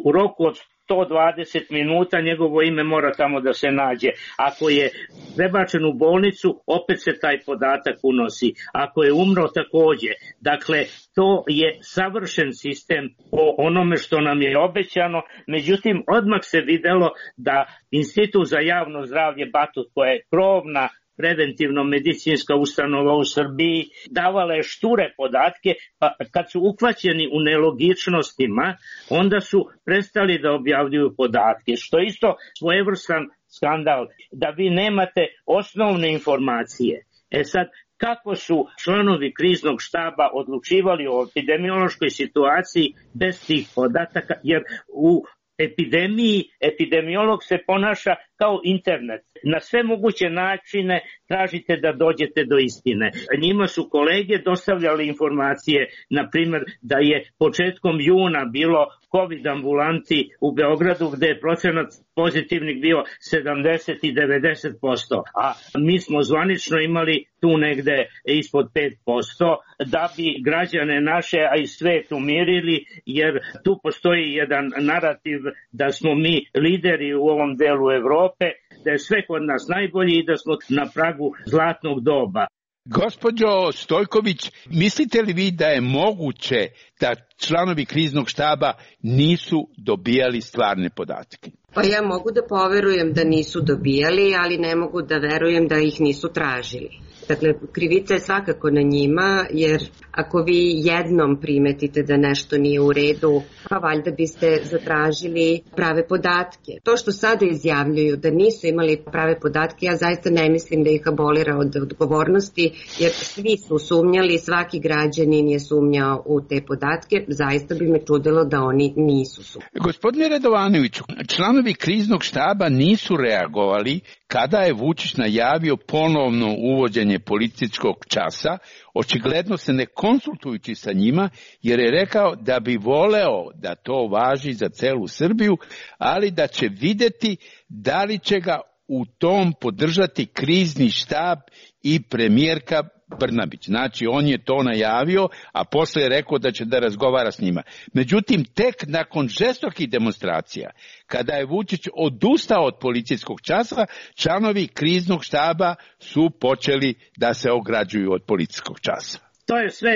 u roku od sto dvadeset minuta njegovo ime mora tamo da se nađe. Ako je prebačen u bolnicu, opet se taj podatak unosi. Ako je umro, takođe. Dakle, to je savršen sistem po onome što nam je obećano. Međutim, odmah se videlo da Institut za javno zdravlje Batut, koja je krovna preventivno-medicinska ustanova u Srbiji, davala je šture podatke, pa kad su uhvaćeni u nelogičnostima, onda su prestali da objavljuju podatke, što je isto svojevrstan skandal, da vi nemate osnovne informacije. E sad, kako su članovi kriznog štaba odlučivali o epidemiološkoj situaciji bez tih podataka, jer u epidemiji, epidemiolog se ponaša kao internet. Na sve moguće načine tražite da dođete do istine. Njima su kolege dostavljali informacije, na primjer, da je početkom juna bilo COVID ambulanti u Beogradu gde je procenat pozitivnih bio sedamdeset i devedeset posto, a mi smo zvanično imali tu negde ispod pet posto, da bi građane naše, a i svet umirili, jer tu postoji jedan narativ da smo mi lideri u ovom delu Evrope, da je sve kod nas najbolji i da smo na pragu zlatnog doba.
Gospođo Stojković, mislite li vi da je moguće da članovi kriznog štaba nisu dobijali stvarne podatke?
Pa ja mogu da poverujem da nisu dobijali, ali ne mogu da verujem da ih nisu tražili. Dakle, krivica je svakako na njima, jer ako vi jednom primetite da nešto nije u redu, pa valjda biste zatražili prave podatke. To što sada izjavljuju da nisu imali prave podatke, ja zaista ne mislim da ih abolira od odgovornosti, jer svi su sumnjali, svaki građanin je sumnjao u te podatke, zaista bi me čudilo da oni nisu sumnjali.
Gospodine Radovanoviću, članovi kriznog štaba nisu reagovali kada je Vučić najavio ponovno uvođenje policijskog časa, očigledno se ne konsultujući sa njima, jer je rekao da bi voleo da to važi za celu Srbiju, ali da će videti da li će ga u tom podržati krizni štab i premijerka Brnabić. Znači, on je to najavio, a posle je rekao da će da razgovara s njima. Međutim, tek nakon žestokih demonstracija, kada je Vučić odustao od policijskog časa, članovi kriznog štaba su počeli da se ograđuju od policijskog časa.
To je sve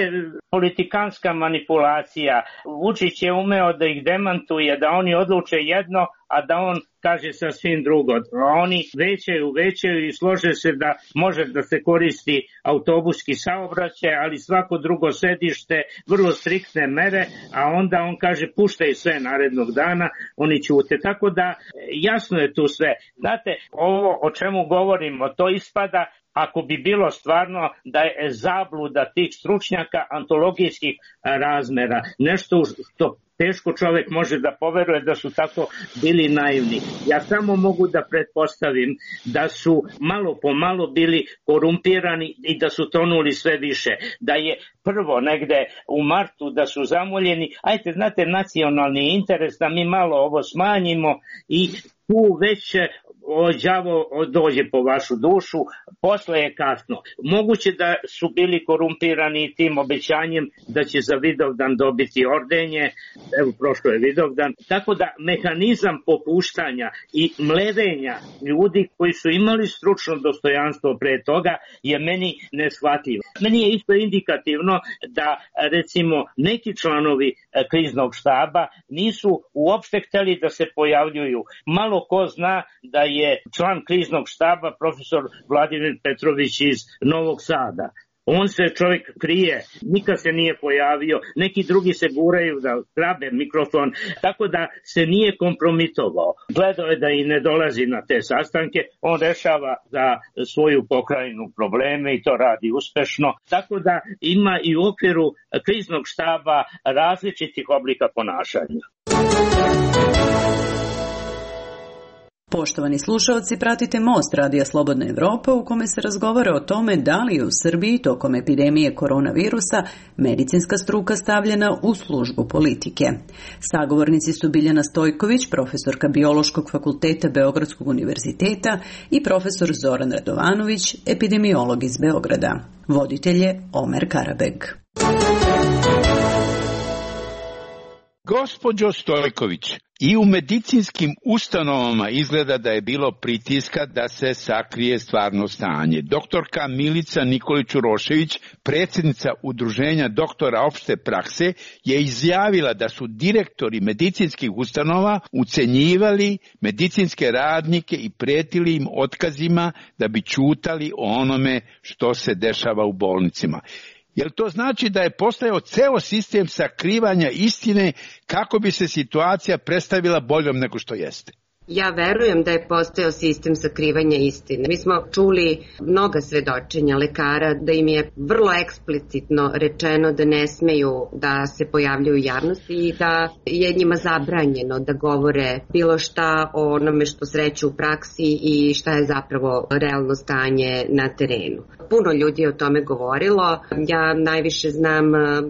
politikanska manipulacija. Vučić je umeo da ih demantuje, da oni odluče jedno, a da on kaže sasvim drugo. Oni većaju, većaju i slože se da može da se koristi autobuski saobraćaj, ali svako drugo sedište, vrlo striktne mere, a onda on kaže puštaj sve narednog dana, oni ćute. Tako da jasno je tu sve. Znate, ovo o čemu govorimo, to ispada ako bi bilo stvarno da je zabluda tih stručnjaka antologijskih razmera. Nešto što teško čovjek može da poveruje da su tako bili naivni. Ja samo mogu da pretpostavim da su malo po malo bili korumpirani i da su tonuli sve više. Da je prvo negde u martu da su zamoljeni, ajte, znate, nacionalni interes da mi malo ovo smanjimo i tu već đavo dođe po vašu dušu, posle je kasno. Moguće da su bili korumpirani tim obećanjem da će za Vidovdan dobiti ordenje, evo prošlo je Vidovdan, tako da mehanizam popuštanja i mlevenja ljudi koji su imali stručno dostojanstvo pre toga je meni neshvatljivo. Meni je isto indikativno da recimo neki članovi kriznog štaba nisu uopšte hteli da se pojavljuju. Malo ko zna da je je član kriznog štaba profesor Vladimir Petrović iz Novog Sada. On se čovjek krije, nikad se nije pojavio, neki drugi se guraju da grabe mikrofon, tako da se nije kompromitovao. Gledao je da i ne dolazi na te sastanke, on rešava za svoju pokrajinu probleme i to radi uspešno, tako da ima i u okviru kriznog štaba različitih oblika ponašanja.
Poštovani slušalci, pratite Most Radija Slobodna Evropa u kome se razgovara o tome da li je u Srbiji tokom epidemije koronavirusa medicinska struka stavljena u službu politike. Sagovornici su Biljana Stojković, profesorka Biološkog fakulteta Beogradskog univerziteta i profesor Zoran Radovanović, epidemiolog iz Beograda. Voditelj je Omer Karabeg.
Gospođo Stojković, i u medicinskim ustanovama izgleda da je bilo pritiska da se sakrije stvarno stanje. Doktorka Milica Nikolić-Urošević, predsjednica Udruženja doktora opšte prakse, je izjavila da su direktori medicinskih ustanova ucenjivali medicinske radnike i pretili im otkazima da bi ćutali o onome što se dešava u bolnicama. Jel to znači da je postojao ceo sistem sakrivanja istine kako bi se situacija predstavila boljom nego što jeste?
Ja verujem da je postojao sistem sakrivanja istine. Mi smo čuli mnoga svedočenja lekara da im je vrlo eksplicitno rečeno da ne smeju da se pojavljuju u javnosti i da je njima zabranjeno da govore bilo šta o onome što sreću u praksi i šta je zapravo realno stanje na terenu. Puno ljudi je o tome govorilo. Ja najviše znam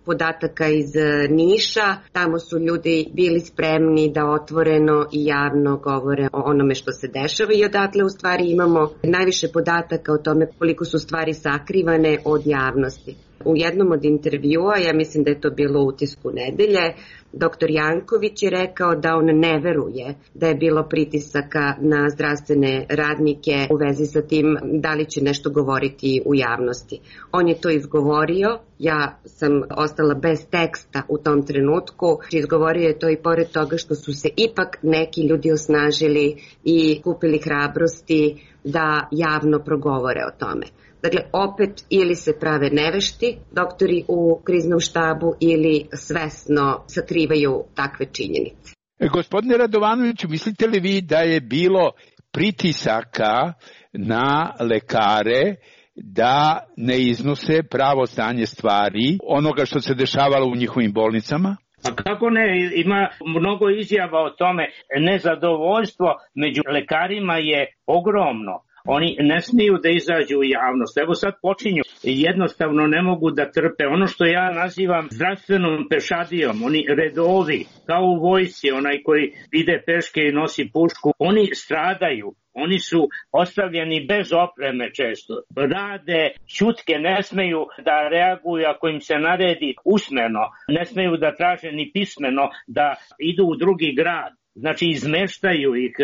podataka iz Niša. Tamo su ljudi bili spremni da otvoreno i javno govore o onome što se dešava i odatle u stvari imamo najviše podataka o tome koliko su stvari sakrivane od javnosti. U jednom od intervjua, ja mislim da je to bilo u Utisku nedelje, doktor Janković je rekao da on ne veruje da je bilo pritisaka na zdravstvene radnike u vezi sa tim da li će nešto govoriti u javnosti. On je to izgovorio, ja sam ostala bez teksta u tom trenutku. Izgovorio je to i pored toga što su se ipak neki ljudi osnažili i kupili hrabrosti da javno progovore o tome. Dakle, opet ili se prave nevešti doktori u kriznom štabu ili svesno sakrivaju takve činjenice.
E, gospodine Radovanoviću, mislite li vi da je bilo pritisaka na lekare da ne iznose pravo stanje stvari onoga što se dešavalo u njihovim bolnicama?
A kako ne, ima mnogo izjava o tome. Nezadovoljstvo među lekarima je ogromno. Oni ne smiju da izađu u javnost. Evo sad počinju. Jednostavno ne mogu da trpe. Ono što ja nazivam zdravstvenom pešadijom, oni redovi, kao u vojsci, onaj koji ide peške i nosi pušku, oni stradaju. Oni su ostavljeni bez opreme često. Rade, ćutke, ne smeju da reaguju ako im se naredi usmeno. Ne smeju da traže ni pismeno da idu u drugi grad. Znači izmeštaju ih.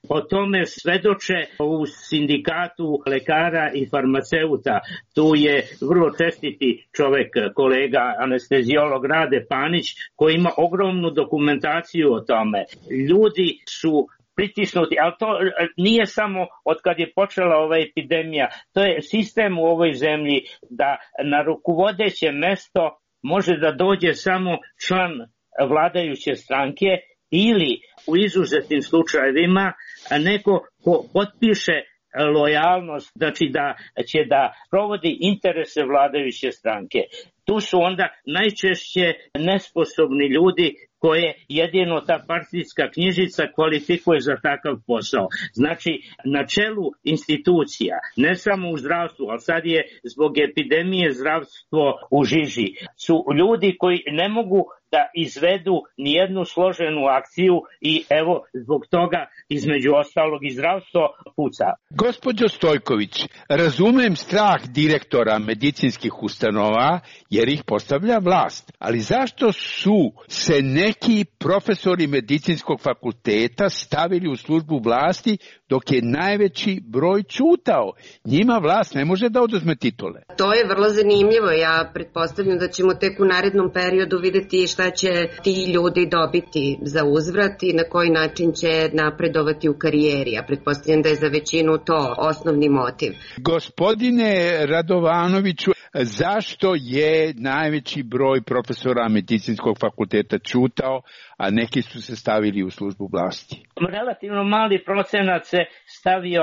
O tome svedoče u sindikatu lekara i farmaceuta. Tu je vrlo čestiti čovek, kolega anesteziolog Rade Panić, koji ima ogromnu dokumentaciju o tome. Ljudi su pritisnuti, ali to nije samo od kad je počela ova epidemija. To je sistem u ovoj zemlji da na rukovodeće mesto može da dođe samo član vladajuće stranke ili u izuzetnim slučajevima neko ko potpiše lojalnost, znači da će da provodi interese vladajuće stranke. Tu su onda najčešće nesposobni ljudi koje jedino ta partijska knjižica kvalifikuje za takav posao. Znači, na čelu institucija, ne samo u zdravstvu, ali sad je zbog epidemije zdravstvo u žiži, su ljudi koji ne mogu da izvedu nijednu složenu akciju i evo zbog toga između ostalog i zdravstvo puca.
Gospođo Stojković, razumem strah direktora medicinskih ustanova jer ih postavlja vlast. Ali zašto su se neki profesori medicinskog fakulteta stavili u službu vlasti dok je najveći broj ćutao? Njima vlast ne može da oduzme titule.
To je vrlo zanimljivo. Ja pretpostavljam da ćemo tek u narednom periodu vidjeti šta će ti ljudi dobiti za uzvrat i na koji način će napredovati u karijeri. Ja pretpostavljam da je za većinu to osnovni motiv.
Gospodine Radovanoviću, zašto je najveći broj profesora medicinskog fakulteta ćutao, a neki su se stavili u službu vlasti?
Relativno mali procenat se stavio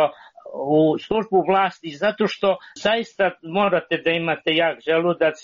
u službu vlasti zato što zaista morate da imate jak želudac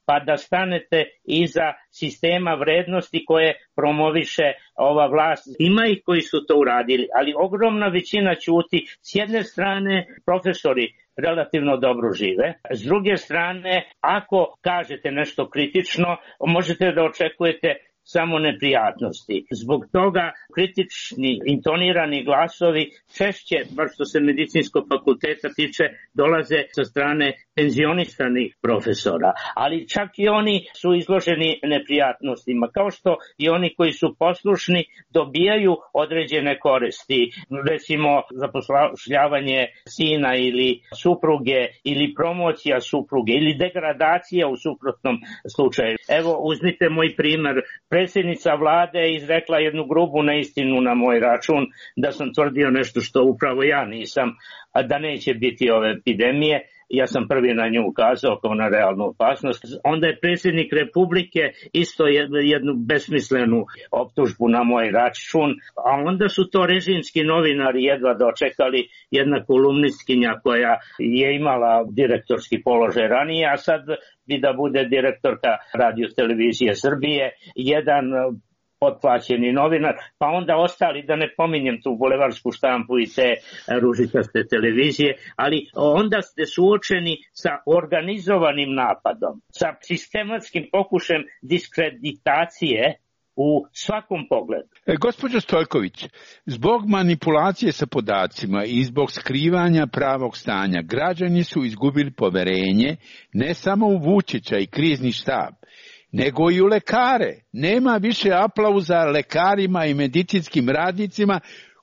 pa da stanete iza sistema vrednosti koje promoviše ova vlast. Ima ih koji su to uradili, ali ogromna većina ćuti. S jedne strane, profesori relativno dobro žive. S druge strane, ako kažete nešto kritično, možete da očekujete samo neprijatnosti. Zbog toga kritični, intonirani glasovi češće, bar što se medicinskog fakulteta tiče, dolaze sa strane penzionisanih profesora. Ali čak i oni su izloženi neprijatnostima, kao što i oni koji su poslušni dobijaju određene koristi. Recimo zapošljavanje sina ili supruge ili promocija supruge ili degradacija u suprotnom slučaju. Evo, uzmite moj primer. Predsjednica vlade je izrekla jednu grubu neistinu na moj račun da sam tvrdio nešto što upravo ja nisam, a da neće biti ove epidemije. Ja sam prvi na nju ukazao kao na realnu opasnost. Onda je predsjednik Republike isto jednu besmislenu optužbu na moj račun, a onda su to režimski novinari jedva dočekali, jedna kolumnistkinja koja je imala direktorski položaj ranije, a sad bi da bude direktorka Radio televizije Srbije, jedan potplaćeni novinar, pa onda ostali, da ne pominjem tu bulevarsku štampu i te ružičaste televizije, ali onda ste suočeni sa organizovanim napadom, sa sistematskim pokušajem diskreditacije u svakom pogledu.
E, gospođo Stojković, zbog manipulacije sa podacima i zbog skrivanja pravog stanja, građani su izgubili poverenje ne samo u Vučića i krizni štab, nego i u lekare. Nema više aplauza lekarima i medicinskim radnicima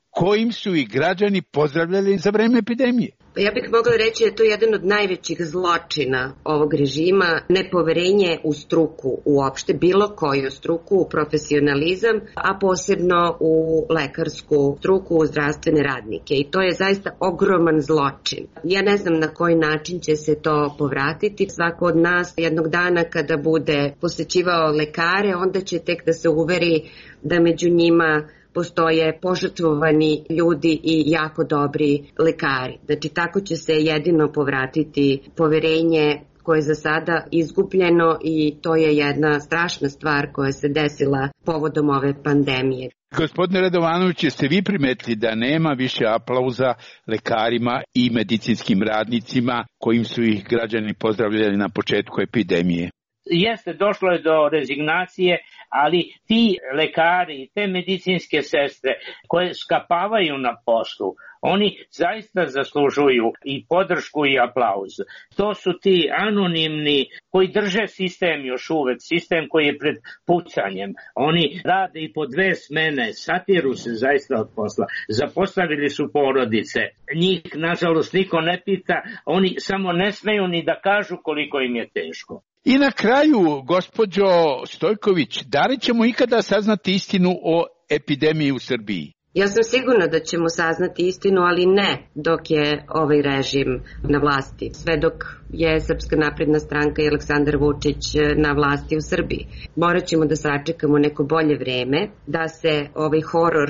kojim su i građani pozdravljali za vreme epidemije.
Ja bih mogla reći da je to jedan od najvećih zločina ovog režima, nepoverenje u struku uopšte, bilo koju struku, u profesionalizam, a posebno u lekarsku struku, u zdravstvene radnike. I to je zaista ogroman zločin. Ja ne znam na koji način će se to povratiti. Svako od nas jednog dana kada bude posećivao lekare, onda će tek da se uveri da među njima postoje požrtvovani ljudi i jako dobri lekari. Znači, tako će se jedino povratiti poverenje koje je za sada izgubljeno i to je jedna strašna stvar koja se desila povodom ove pandemije.
Gospodine Radovanović, jeste vi primetili da nema više aplauza lekarima i medicinskim radnicima kojim su ih građani pozdravljali na početku epidemije?
Jeste, došlo je do rezignacije, ali ti lekari i te medicinske sestre koje skapavaju na poslu, oni zaista zaslužuju i podršku i aplauz. To su ti anonimni koji drže sistem još uvek, sistem koji je pred pucanjem. Oni rade i po dve smene, satiru se zaista od posla. Zapostavili su porodice. Njih, nažalost, niko ne pita, oni samo ne smeju ni da kažu koliko im je teško.
I na kraju, gospođo Stojković, da li ćemo ikada saznati istinu o epidemiji u Srbiji?
Ja sam sigurna da ćemo saznati istinu, ali ne dok je ovaj režim na vlasti. Sve dok je Srpska napredna stranka i Aleksandar Vučić na vlasti u Srbiji. Morat ćemo da sačekamo neko bolje vreme, da se ovaj horor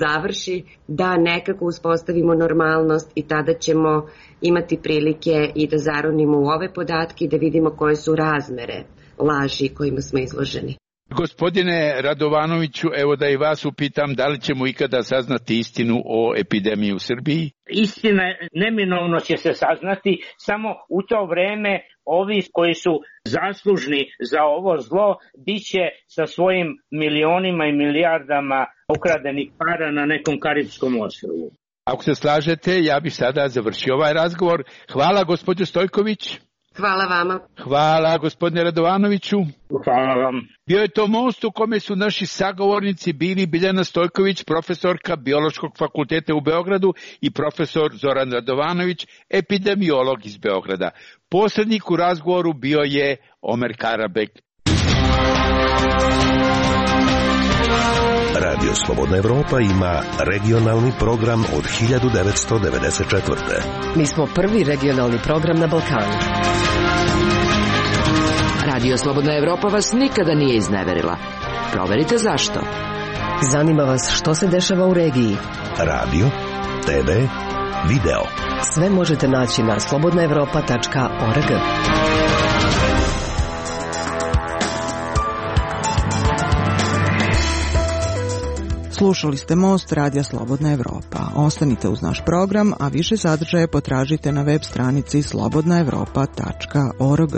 završi, da nekako uspostavimo normalnost i tada ćemo imati prilike i da zaronimo u ove podatke i da vidimo koje su razmere laži kojima smo izloženi.
Gospodine Radovanoviću, evo da i vas upitam, da li ćemo ikada saznati istinu o epidemiji u Srbiji?
Istina neminovno će se saznati, samo u to vreme ovi koji su zaslužni za ovo zlo biće sa svojim milionima i milijardama ukradenih para na nekom karibskom ostrvu.
Ako se slažete, ja bih sada završio ovaj razgovor. Hvala, gospođo Stojković.
Hvala vama.
Hvala gospodine Radovanoviću.
Hvala vam.
Bio je to most u kome su naši sagovornici bili Biljana Stojković, profesorka Biološkog fakulteta u Beogradu, i profesor Zoran Radovanović, epidemiolog iz Beograda. Posrednik u razgovoru bio je Omer Karabek.
Radio Slobodna Evropa ima regionalni program od hiljadu devetsto devedeset četvrte.
Mi smo prvi regionalni program na Balkanu.
Radio Slobodna Evropa vas nikada nije izneverila. Proverite zašto.
Zanima vas što se dešava u regiji.
Radio, te ve, video.
Sve možete naći na slobodna evropa tačka org.
Slušali ste Most Radija Slobodna Evropa. Ostanite uz naš program, a više sadržaje potražite na web stranici slobodna evropa tačka org.